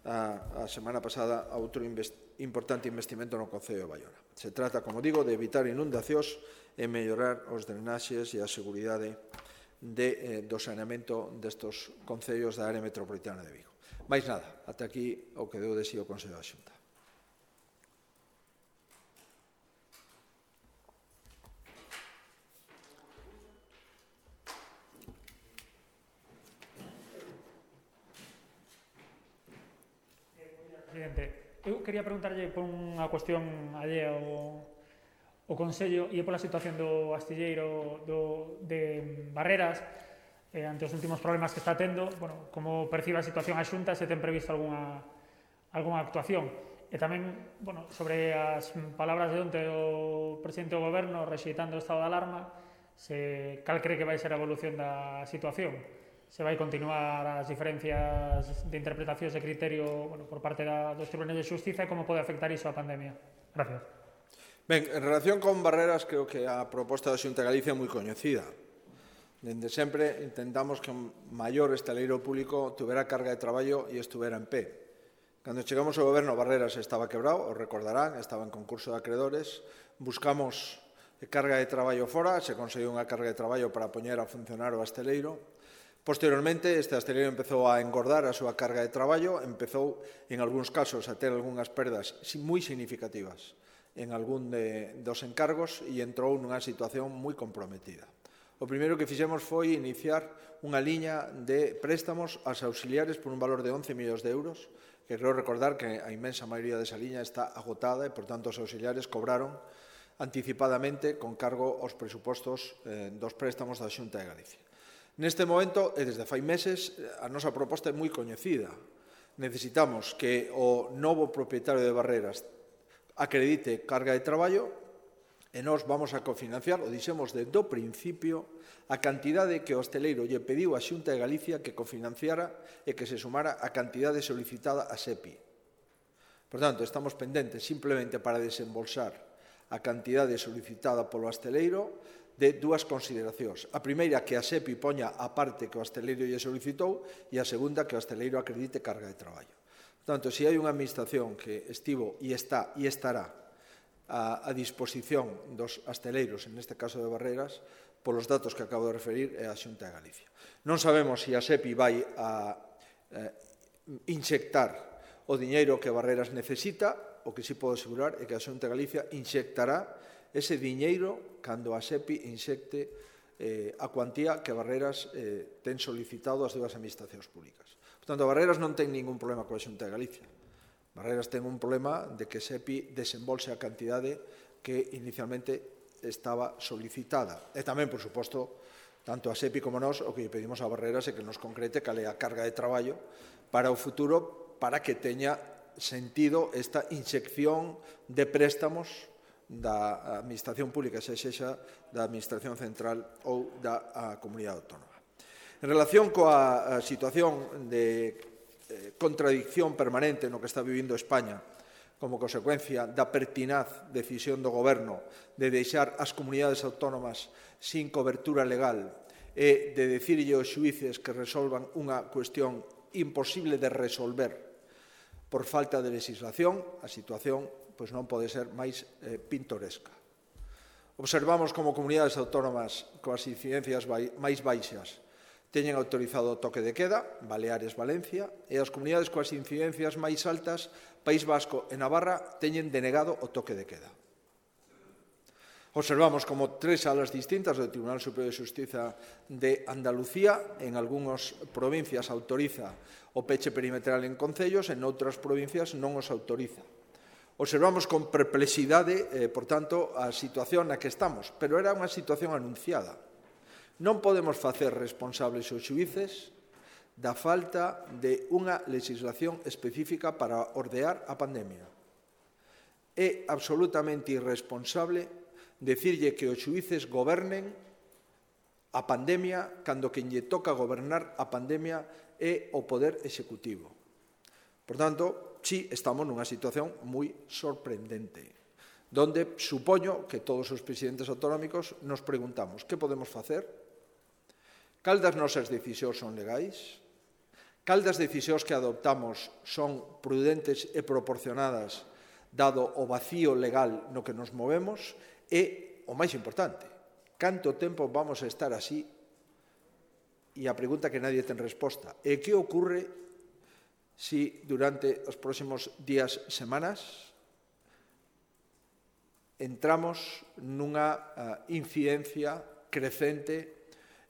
a, a semana pasada a outro investimento importante investimento no Concello de Bayona. Se trata, como digo, de evitar inundacións e mellorar os drenaxes e a seguridade de, eh, do saneamento destos concellos da área metropolitana de Vigo. Mais nada, ata aquí o que deu de si o Consello da Xunta. presidente. Eu quería preguntarlle por unha cuestión allea ao, ao Consello e pola situación do astilleiro do, de Barreras eh, ante os últimos problemas que está tendo. Bueno, como percibe a situación a Xunta, se ten previsto algunha, algunha actuación. E tamén, bueno, sobre as palabras de onte do presidente do Goberno rexeitando o estado de alarma, se cal cree que vai ser a evolución da situación? Se vai continuar as diferencias de interpretacións de criterio, bueno, por parte da, dos tribunais de xustiza, e como pode afectar iso a pandemia? Gracias. Ben, en relación con Barreras, creo que a proposta da Xunta de Galicia é moi coñecida. Dende sempre intentamos que un maior estaleiro público tuvera carga de traballo e estuvera en pé. Cando chegamos ao goberno, Barreras estaba quebrado, os recordarán, estaba en concurso de acreedores, buscamos carga de traballo fora, se conseguiu unha carga de traballo para poñer a funcionar o asteleiro. Posteriormente, este asteleiro empezou a engordar a súa carga de traballo, empezou, en algúns casos, a ter algunhas perdas moi significativas en algún de, dos encargos e entrou nunha situación moi comprometida. O primeiro que fixemos foi iniciar unha liña de préstamos aos auxiliares por un valor de once millóns de euros, que creo recordar que a inmensa maioría desa liña está agotada e, por tanto, os auxiliares cobraron anticipadamente con cargo aos presupostos eh, dos préstamos da Xunta de Galicia. Neste momento, e desde fai meses, a nosa proposta é moi coñecida. Necesitamos que o novo propietario de Barreras acredite carga de traballo e nós vamos a cofinanciar, o dixemos desde o principio, a cantidade que o hosteleiro lle pediu a Xunta de Galicia que cofinanciara e que se sumara a cantidade solicitada a SEPI. Por tanto, estamos pendentes simplemente para desembolsar a cantidade solicitada polo hosteleiro de dúas consideracións. A primeira, que a SEPI poña a parte que o hosteleiro lle solicitou, e a segunda, que o hosteleiro acredite carga de traballo. Por tanto, se hai unha administración que estivo e está e estará a, a disposición dos hosteleiros, en este caso de Barreras, polos datos que acabo de referir, é a Xunta de Galicia. Non sabemos se a SEPI vai a eh, inxectar o diñeiro que Barreras necesita. O que sí podo asegurar é que a Xunta de Galicia inxectará ese diñeiro cando a SEPI inxecte eh, a cuantía que Barreras eh, ten solicitado ás dúas administracións públicas. Por tanto, Barreras non ten ningún problema coa Xunta de Galicia. Barreras ten un problema de que SEPI desembolse a cantidade que inicialmente estaba solicitada. E tamén, por suposto, tanto a SEPI como nós, o que lle pedimos a Barreras é que nos concrete cal é a carga de traballo para o futuro, para que teña sentido esta inxección de préstamos da Administración Pública, se sexa da Administración Central ou da Comunidade Autónoma. En relación coa situación de eh, contradicción permanente no que está vivindo España como consecuencia da pertinaz decisión do Goberno de deixar as comunidades autónomas sin cobertura legal e de dicirlle aos xuíces que resolvan unha cuestión imposible de resolver por falta de legislación, a situación pois non pode ser máis eh, pintoresca. Observamos como comunidades autónomas coas incidencias máis baixas teñen autorizado o toque de queda, Baleares, Valencia, e as comunidades coas incidencias máis altas, País Vasco e Navarra, teñen denegado o toque de queda. Observamos como tres salas distintas do Tribunal Superior de Xustiza de Andalucía, en algunhas provincias autoriza o peche perimetral en concellos, en outras provincias non os autoriza. Observamos con perplexidade, eh, por tanto, a situación na que estamos, pero era unha situación anunciada. Non podemos facer responsables os xuíces da falta de unha legislación específica para ordear a pandemia. É absolutamente irresponsable decirlle que os xuíces gobernen a pandemia cando quen lle toca gobernar a pandemia é o Poder Executivo. Por tanto, sí, estamos nunha situación moi sorprendente, donde supoño que todos os presidentes autonómicos nos preguntamos que podemos facer. Cal das nosas decisións son legais? Cal das decisións que adoptamos son prudentes e proporcionadas dado o vacío legal no que nos movemos? E, o máis importante, canto tempo vamos a estar así? E a pregunta que nadie ten resposta. E que ocurre si durante os próximos días, semanas, entramos nunha uh, incidencia crecente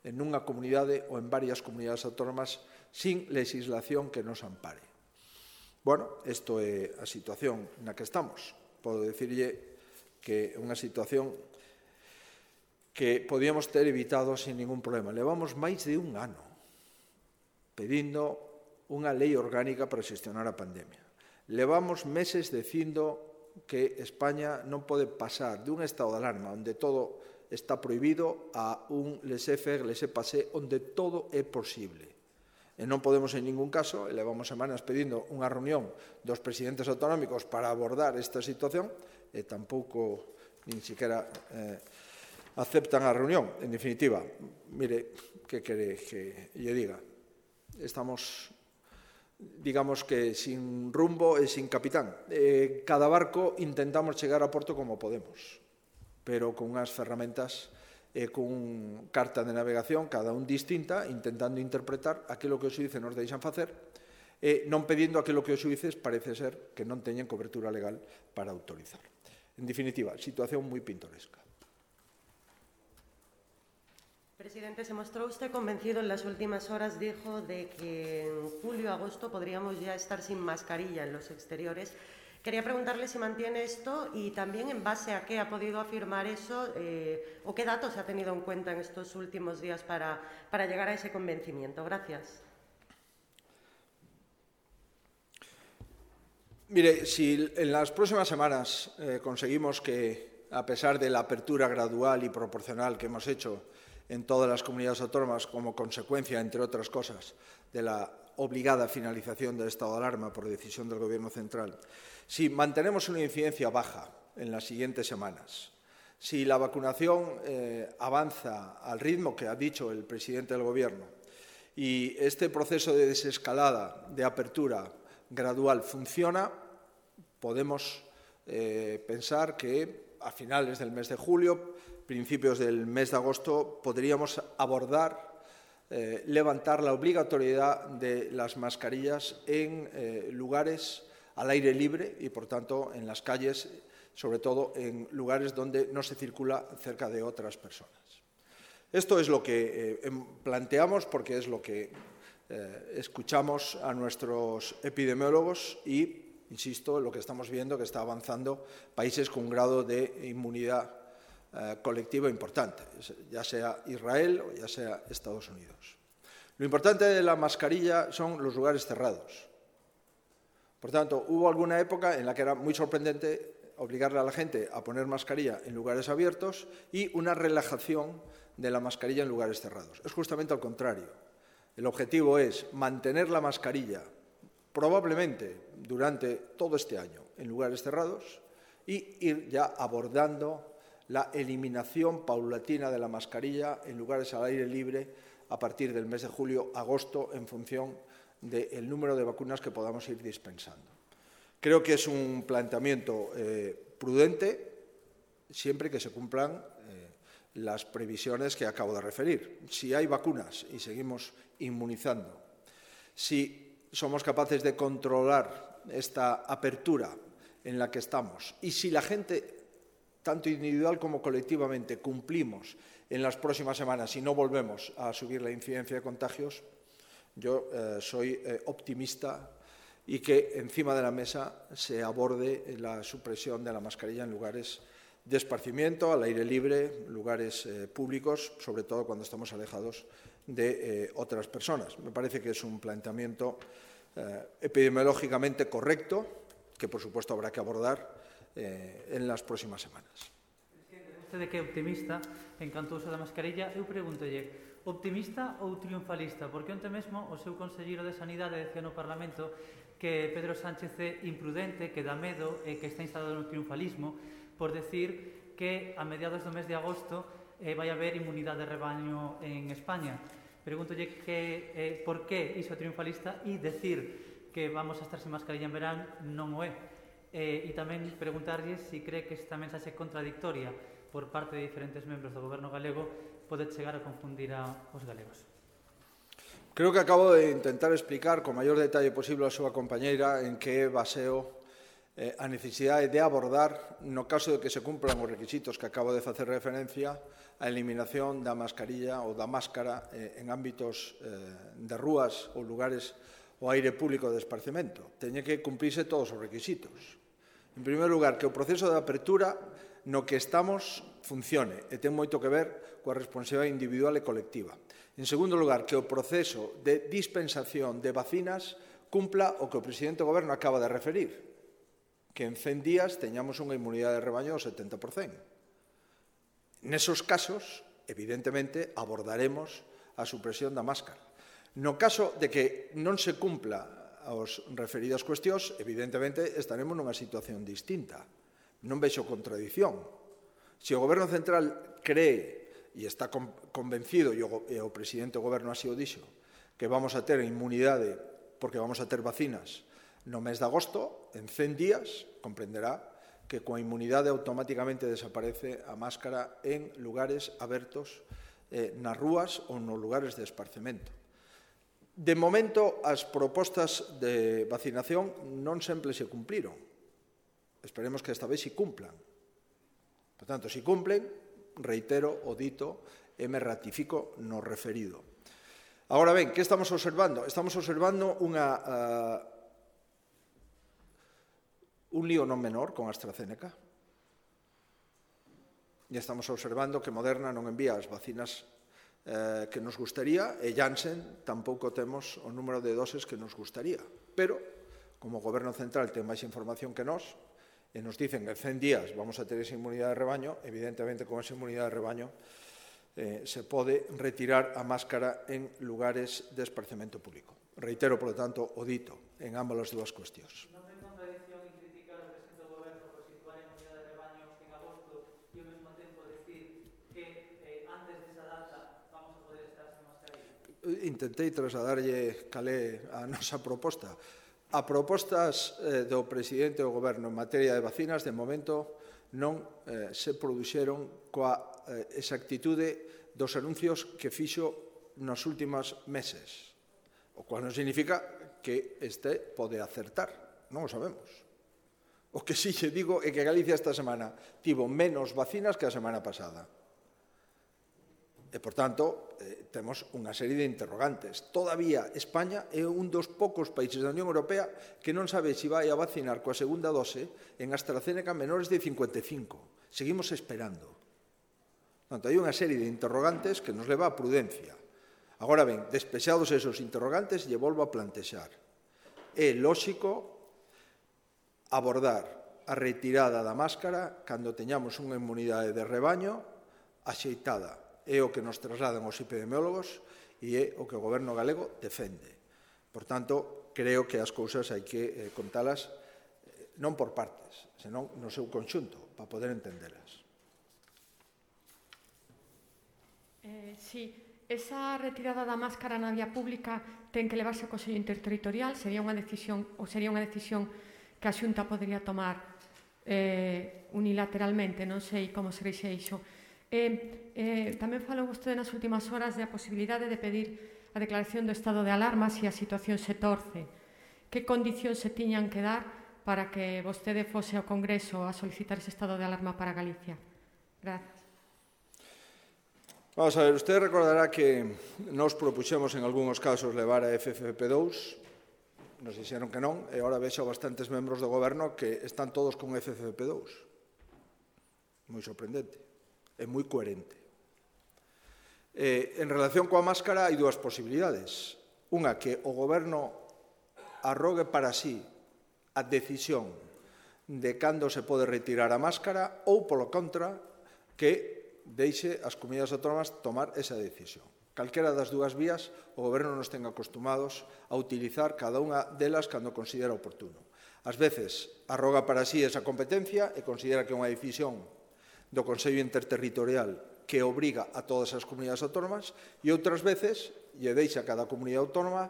en unha comunidade ou en varias comunidades autónomas sin legislación que nos ampare? Bueno, isto é a situación na que estamos. Podo dicirlle que é unha situación que podíamos ter evitado sin ningún problema. Levamos máis de un ano pedindo unha lei orgánica para xestionar a pandemia. Levamos meses dicindo que España non pode pasar dun estado de alarma onde todo está prohibido a un laissez-faire, laissez-passer onde todo é posible. E non podemos en ningún caso, e levamos semanas pedindo unha reunión dos presidentes autonómicos para abordar esta situación e tampouco nin siquiera eh, aceptan a reunión. En definitiva, mire, que quere que lle diga? Estamos, digamos que, sin rumbo e sin capitán. Eh, cada barco intentamos chegar a porto como podemos, pero con unhas ferramentas e eh, con carta de navegación, cada un distinta, intentando interpretar aquilo que os xuíces nos deixan facer e non pedindo aquilo que os xuíces parece ser que non teñen cobertura legal para autorizar. En definitiva, situación moi pintoresca. Presidente, se mostró usted convencido en las últimas horas, dijo, de que en julio, agosto podríamos ya estar sin mascarilla en los exteriores. Quería preguntarle si mantiene esto y también en base a qué ha podido afirmar eso eh, o qué datos ha tenido en cuenta en estos últimos días para, para llegar a ese convencimiento. Gracias. Mire, si en las próximas semanas eh, conseguimos que, a pesar de la apertura gradual y proporcional que hemos hecho en todas las comunidades autónomas como consecuencia, entre otras cosas, de la obligada finalización del estado de alarma por decisión del Gobierno central, si mantenemos una incidencia baja en las siguientes semanas, si la vacunación eh, avanza al ritmo que ha dicho el presidente del Gobierno y este proceso de desescalada, de apertura gradual funciona, podemos eh, pensar que a finales del mes de julio, principios del mes de agosto, podríamos abordar, eh, levantar la obligatoriedad de las mascarillas en eh, lugares al aire libre y, por tanto, en las calles, sobre todo en lugares donde no se circula cerca de otras personas. Esto es lo que eh, planteamos porque es lo que eh, escuchamos a nuestros epidemiólogos y, insisto, lo que estamos viendo que está avanzando países con un grado de inmunidad Eh, colectivo importante, ya sea Israel o ya sea Estados Unidos. Lo importante de la mascarilla son los lugares cerrados. Por tanto, hubo alguna época en la que era muy sorprendente obligarle a la gente a poner mascarilla en lugares abiertos y una relajación de la mascarilla en lugares cerrados. Es justamente al contrario. El objetivo es mantener la mascarilla probablemente durante todo este año en lugares cerrados y ir ya abordando la eliminación paulatina de la mascarilla en lugares al aire libre a partir del mes de julio, agosto, en función del número de vacunas que podamos ir dispensando. Creo que es un planteamiento eh, prudente, siempre que se cumplan eh, las previsiones que acabo de referir. Si hay vacunas y seguimos inmunizando, si somos capaces de controlar esta apertura en la que estamos y si la gente, tanto individual como colectivamente, cumplimos en las próximas semanas y no volvemos a subir la incidencia de contagios, yo eh, soy eh, optimista y que encima de la mesa se aborde la supresión de la mascarilla en lugares de esparcimiento, al aire libre, lugares eh, públicos, sobre todo cuando estamos alejados de eh, otras personas. Me parece que es un planteamiento eh, epidemiológicamente correcto, que por supuesto habrá que abordar Eh, en las próximas semanas. Presidente, vostede que é optimista en canto ao uso da mascarilla, eu pregúntolle, optimista ou triunfalista? Porque onte mesmo o seu conselleiro de Sanidade decía no Parlamento que Pedro Sánchez é imprudente, que dá medo e que está instalado no triunfalismo por decir que a mediados do mes de agosto eh, vai haber inmunidade de rebaño en España. Pregúntolle que, eh, por que iso é triunfalista e decir que vamos a estar sin mascarilla en verán non o é. Eh, e tamén preguntarlle se si cree que esta mensaxe contradictoria por parte de diferentes membros do Goberno galego pode chegar a confundir a, os galegos. Creo que acabo de intentar explicar con maior detalle posible a súa compañeira en que baseo eh, a necesidade de abordar, no caso de que se cumplan os requisitos que acabo de facer referencia, a eliminación da mascarilla ou da máscara eh, en ámbitos eh, de rúas ou lugares o aire público de esparcemento. Teñen que cumprirse todos os requisitos. En primeiro lugar, que o proceso de apertura no que estamos funcione e ten moito que ver coa responsabilidade individual e colectiva. En segundo lugar, que o proceso de dispensación de vacinas cumpla o que o presidente do Goberno acaba de referir, que en cen días teñamos unha inmunidade de rebaño do setenta por cento. Nesos casos, evidentemente, abordaremos a supresión da máscara. No caso de que non se cumpla as referidas cuestións, evidentemente estaremos nunha situación distinta. Non vexo contradición. Se o Goberno Central cree e está convencido, e o presidente do Goberno así o dixo, que vamos a ter inmunidade porque vamos a ter vacinas no mes de agosto, en cen días, comprenderá que coa inmunidade automáticamente desaparece a máscara en lugares abertos, eh, nas rúas ou nos lugares de esparcemento. De momento, as propostas de vacinación non sempre se cumpliron. Esperemos que esta vez se cumplan. Por tanto, se cumplen, reitero o dito e me ratifico no referido. Agora ben, que estamos observando? Estamos observando unha, uh, un lío non menor con AstraZeneca. E estamos observando que Moderna non envía as vacinas eh, que nos gustaría e Janssen tampouco temos o número de doses que nos gustaría. Pero, como o Goberno Central ten máis información que nós, e nos dicen que en cen días vamos a ter esa inmunidade de rebaño, evidentemente con esa inmunidade de rebaño eh, se pode retirar a máscara en lugares de esparcemento público. Reitero, por lo tanto, o dito en ambas as dúas cuestións. Non ten contradición en criticar o presidente do Goberno por situar a inmunidade de rebaño en agosto e ao mesmo tempo decir que eh, antes desa data vamos a poder estar sen mascarilla? Intentei trasladarlle calé a nosa proposta. A propostas eh, do presidente do Goberno en materia de vacinas, de momento, non eh, se produxeron coa eh, exactitude dos anuncios que fixo nos últimos meses, o cual non significa que este pode acertar, non o sabemos. O que sí lle digo é que Galicia esta semana tivo menos vacinas que a semana pasada. E, por tanto, eh, temos unha serie de interrogantes. Todavía España é un dos poucos países da Unión Europea que non sabe se vai a vacinar coa segunda dose en AstraZeneca menores de cincuenta e cinco. Seguimos esperando. Por tanto, hai unha serie de interrogantes que nos leva a prudencia. Agora ben, despexados esos interrogantes, lle volvo a plantexar. É lóxico abordar a retirada da máscara cando teñamos unha inmunidade de rebaño axeitada. É o que nos trasladan os epidemiólogos e é o que o Goberno galego defende. Por tanto, creo que as cousas hai que eh, contalas eh, non por partes, senón no seu conxunto, para poder entendelas. Eh, sí, esa retirada da máscara na vía pública ten que levarse ao Consello Interterritorial, sería unha decisión ou sería unha decisión que a Xunta podería tomar eh, unilateralmente, non sei como se rixe iso. Eh, eh, tamén falou vostede nas últimas horas da posibilidade de pedir a declaración do estado de alarma se a situación se torce. Que condicións se tiñan que dar para que vostede fose ao Congreso a solicitar ese estado de alarma para Galicia? Gracias. Vamos a ver, usted recordará que nos propuxemos en algúns casos levar a F F P dous, nos dixeron que non, e agora vexo bastantes membros do Goberno que están todos con F F P dous. Moi sorprendente. É moi coherente. Eh, en relación coa máscara hai dúas posibilidades. Unha, que o Goberno arrogue para sí a decisión de cando se pode retirar a máscara ou, polo contra, que deixe as comunidades autónomas tomar esa decisión. Calquera das dúas vías, o Goberno nos ten acostumados a utilizar cada unha delas cando considera oportuno. Ás veces arroga para sí esa competencia e considera que é unha decisión do Consello Interterritorial que obriga a todas as comunidades autónomas e outras veces lle deixa a cada comunidade autónoma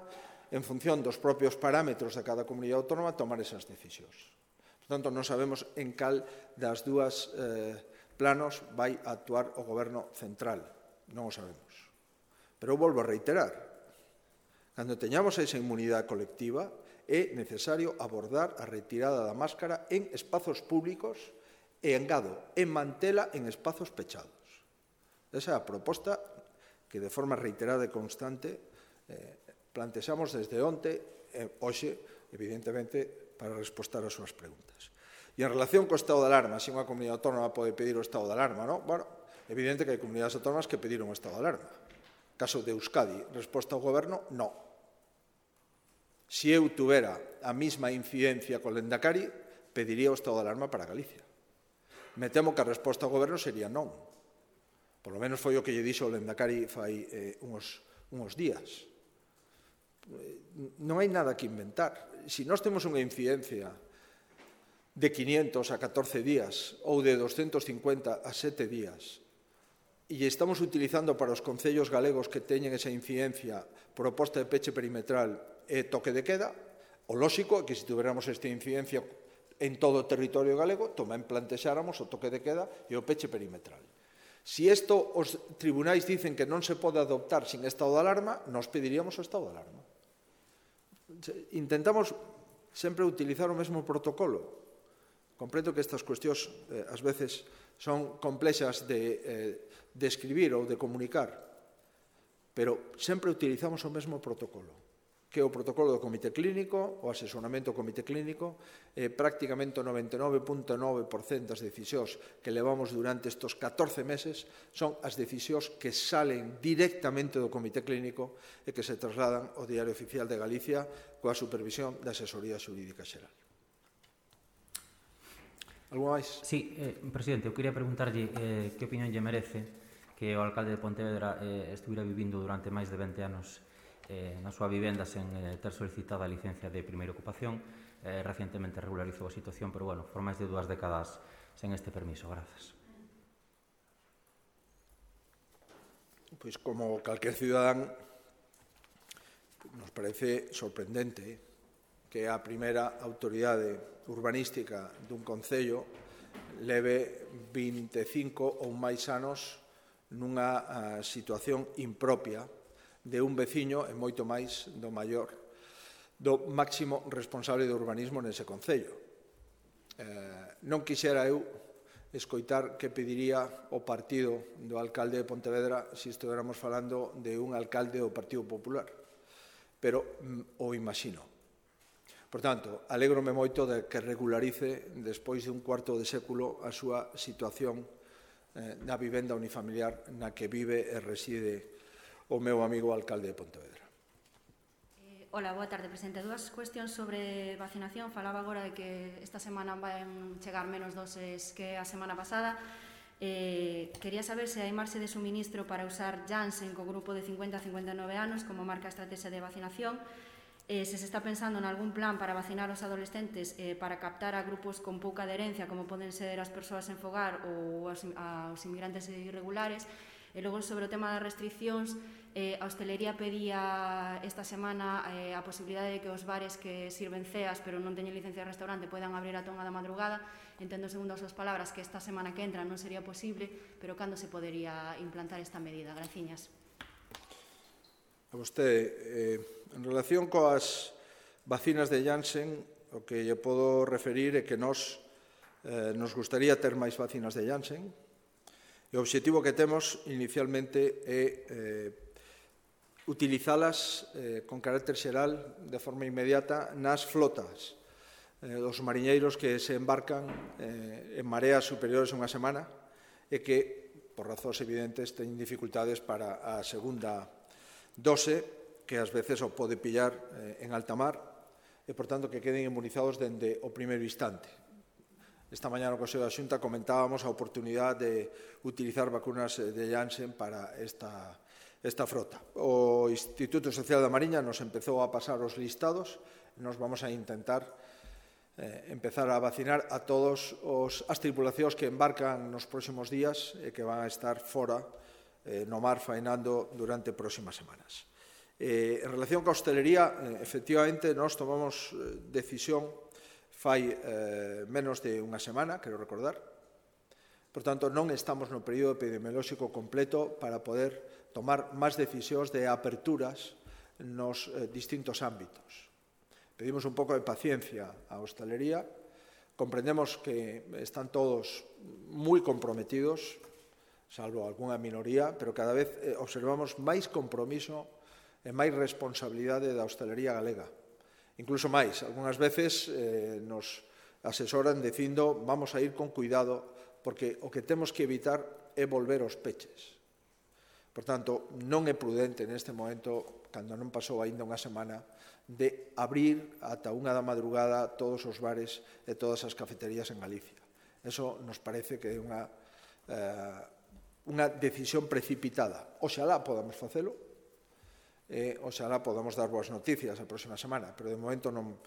en función dos propios parámetros de cada comunidade autónoma tomar esas decisións. Por tanto, non sabemos en cal das dúas eh, planos vai a actuar o Goberno Central. Non o sabemos. Pero eu volvo a reiterar. Cando teñamos esa inmunidade colectiva é necesario abordar a retirada da máscara en espazos públicos e engado, en mantela en espazos pechados. Esa é a proposta que de forma reiterada e constante eh, plantexamos desde onte hoxe, evidentemente, para respostar as súas preguntas. E en relación co estado de alarma, se unha comunidade autónoma pode pedir o estado de alarma, non? Bueno, evidente que hai comunidades autónomas que pediron o estado de alarma. Caso de Euskadi, resposta ao goberno, non. Se eu tuvera a mesma incidencia co Lendakari, pediría o estado de alarma para Galicia. Me temo que a resposta ao goberno sería non. Por lo menos foi o que lle dixo o Lendakari fai eh, uns, uns días. Non hai nada que inventar. Se nós temos unha incidencia de quinientos a catorce días ou de doscientos cincuenta a sete días e estamos utilizando para os concellos galegos que teñen esa incidencia proposta de peche perimetral e toque de queda, o lóxico é que se tuveramos esta incidencia en todo o territorio galego, tamén plantexáramos o toque de queda e o peche perimetral. Se isto os tribunais dicen que non se pode adoptar sin estado de alarma, nos pediríamos o estado de alarma. Intentamos sempre utilizar o mesmo protocolo. Comprendo que estas cuestións eh, ás veces son complexas de eh, describir ou de comunicar, pero sempre utilizamos o mesmo protocolo, que é o protocolo do comité clínico, o asesoramento do comité clínico, eh, prácticamente o noventa e nove punto nove por cento das decisións que levamos durante estes catorce meses son as decisións que salen directamente do comité clínico e que se trasladan ao Diario Oficial de Galicia coa supervisión da Asesoría Xurídica Xeral. Algo máis? Sí, eh, presidente, eu quería preguntarlle eh, que opinión lle merece que o alcalde de Pontevedra eh, estuviera vivindo durante máis de vinte anos eh, na súa vivenda sen eh, ter solicitado a licencia de primeira ocupación. Eh, recientemente regularizou a situación, pero, bueno, por máis de dúas décadas sen este permiso. Grazas. Pois, como calquer cidadán, nos parece sorprendente que a primeira autoridade urbanística dun concello leve vinte e cinco ou máis anos nunha uh, situación impropia de un veciño e moito máis do maior, do máximo responsable de urbanismo nese concello. Eh, non quixera eu escoitar que pediría o partido do alcalde de Pontevedra se estuéramos falando de un alcalde do Partido Popular, pero mm, o imagino. Por tanto, alégrome moito de que regularice, despois de un cuarto de século, a súa situación eh, na vivenda unifamiliar na que vive e reside o meu amigo alcalde de Pontevedra. Eh, hola, boa tarde, presidente. Dúas cuestións sobre vacinación. Falaba agora de que esta semana van chegar menos doses que a semana pasada. Eh, quería saber se hai marxe de suministro para usar Janssen co grupo de cincuenta a cincuenta e nove anos como marca estrategia de vacinación. Eh, se se está pensando en algún plan para vacinar os adolescentes eh, para captar a grupos con pouca adherencia, como poden ser as persoas en fogar ou as, aos inmigrantes irregulares. E logo, sobre o tema das restriccións, eh, a hostelería pedía esta semana eh, a posibilidade de que os bares que sirven ceas pero non teñen licencia de restaurante poidan abrir a tonga da madrugada. Entendo, segundo as súas palabras, que esta semana que entra non sería posible, pero cando se podería implantar esta medida? Graciñas. A vostede, eh, en relación coas vacinas de Janssen, o que lle podo referir é que nos, eh, nos gustaría ter máis vacinas de Janssen. E o obxectivo que temos inicialmente é eh, utilizalas eh, con carácter xeral de forma inmediata nas flotas eh, dos mariñeiros que se embarcan eh, en mareas superiores a unha semana e que, por razóns evidentes, teñen dificultades para a segunda dose, que ás veces o pode pillar eh, en alta mar e, por tanto, que queden inmunizados dende o primeiro instante. Esta mañá no Consello da Xunta comentábamos a oportunidade de utilizar vacunas de Janssen para esta, esta frota. O Instituto Social da Mariña nos empezou a pasar os listados e nos vamos a intentar eh, empezar a vacinar a todos os, as tripulacións que embarcan nos próximos días e que van a estar fora eh, no mar faenando durante próximas semanas. Eh, en relación coa hostelería, eh, efectivamente, nós tomamos eh, decisión fai eh, menos de unha semana, quero recordar. Por tanto, non estamos no período epidemiolóxico completo para poder tomar máis decisións de aperturas nos eh, distintos ámbitos. Pedimos un pouco de paciencia á hostelería. Comprendemos que están todos moi comprometidos, salvo algunha minoría, pero cada vez observamos máis compromiso e máis responsabilidade da hostelería galega. Incluso máis, algunhas veces eh, nos asesoran dicindo vamos a ir con cuidado porque o que temos que evitar é volver aos peches. Por tanto, non é prudente neste momento, cando non pasou aínda unha semana, de abrir ata unha da madrugada todos os bares e todas as cafeterías en Galicia. Eso nos parece que é unha, eh, unha decisión precipitada. Oxalá podamos facelo, e oxalá podamos dar boas noticias a próxima semana, pero de momento non,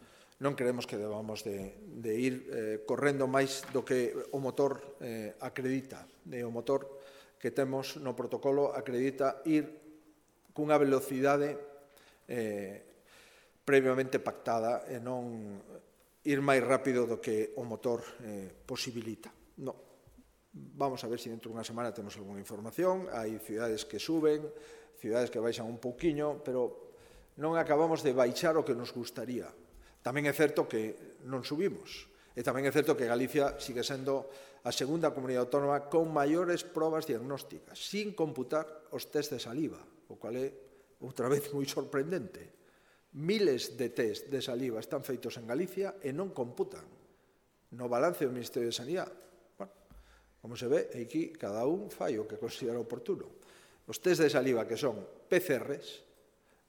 non creemos que debamos de, de ir eh, correndo máis do que o motor eh, acredita. E o motor que temos no protocolo acredita ir cunha velocidade eh, previamente pactada e non ir máis rápido do que o motor eh, posibilita. No. Vamos a ver se dentro dunha semana temos algunha información. Hai cidades que suben, cidades que baixan un pouquiño, pero non acabamos de baixar o que nos gustaría. Tamén é certo que non subimos. E tamén é certo que Galicia sigue sendo a segunda comunidade autónoma con maiores probas diagnósticas, sin computar os test de saliva, o cual é, outra vez, moi sorprendente. Miles de test de saliva están feitos en Galicia e non computan no balance do Ministerio de Sanidade. Bueno, como se ve, aquí cada un fai o que considera oportuno. Os test de saliva que son P C Rs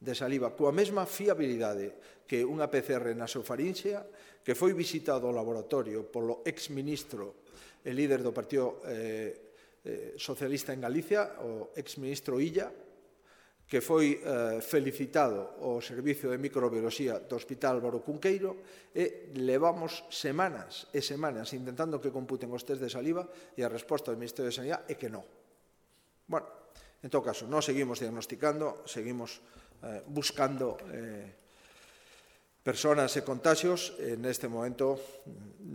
de saliva coa mesma fiabilidade que unha P C R nasofarinxea, que foi visitado ao laboratorio polo exministro e líder do Partido eh, eh, Socialista en Galicia, o exministro Illa, que foi eh, felicitado ao Servicio de Microbioloxía do Hospital Álvaro Cunqueiro, e levamos semanas e semanas intentando que computen os test de saliva, e a resposta do Ministerio de Sanidade é que non. Bueno, en todo caso, non seguimos diagnosticando, seguimos eh, buscando eh, personas e contagios. En este momento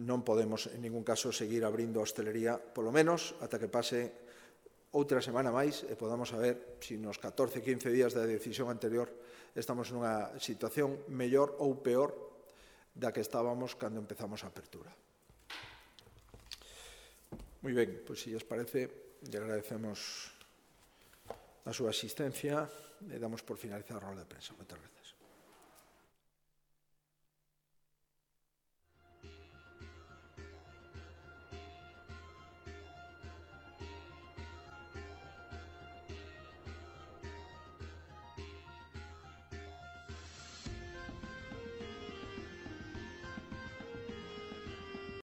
non podemos en ningún caso seguir abrindo a hostelería, polo menos ata que pase outra semana máis e podamos saber se nos catorce, quince días da decisión anterior estamos nunha situación mellor ou peor da que estábamos cando empezamos a apertura. Moi ben, pois se lles parece, lle agradecemos a súa asistencia e damos por finalizar a roda de prensa. Moitas gracias.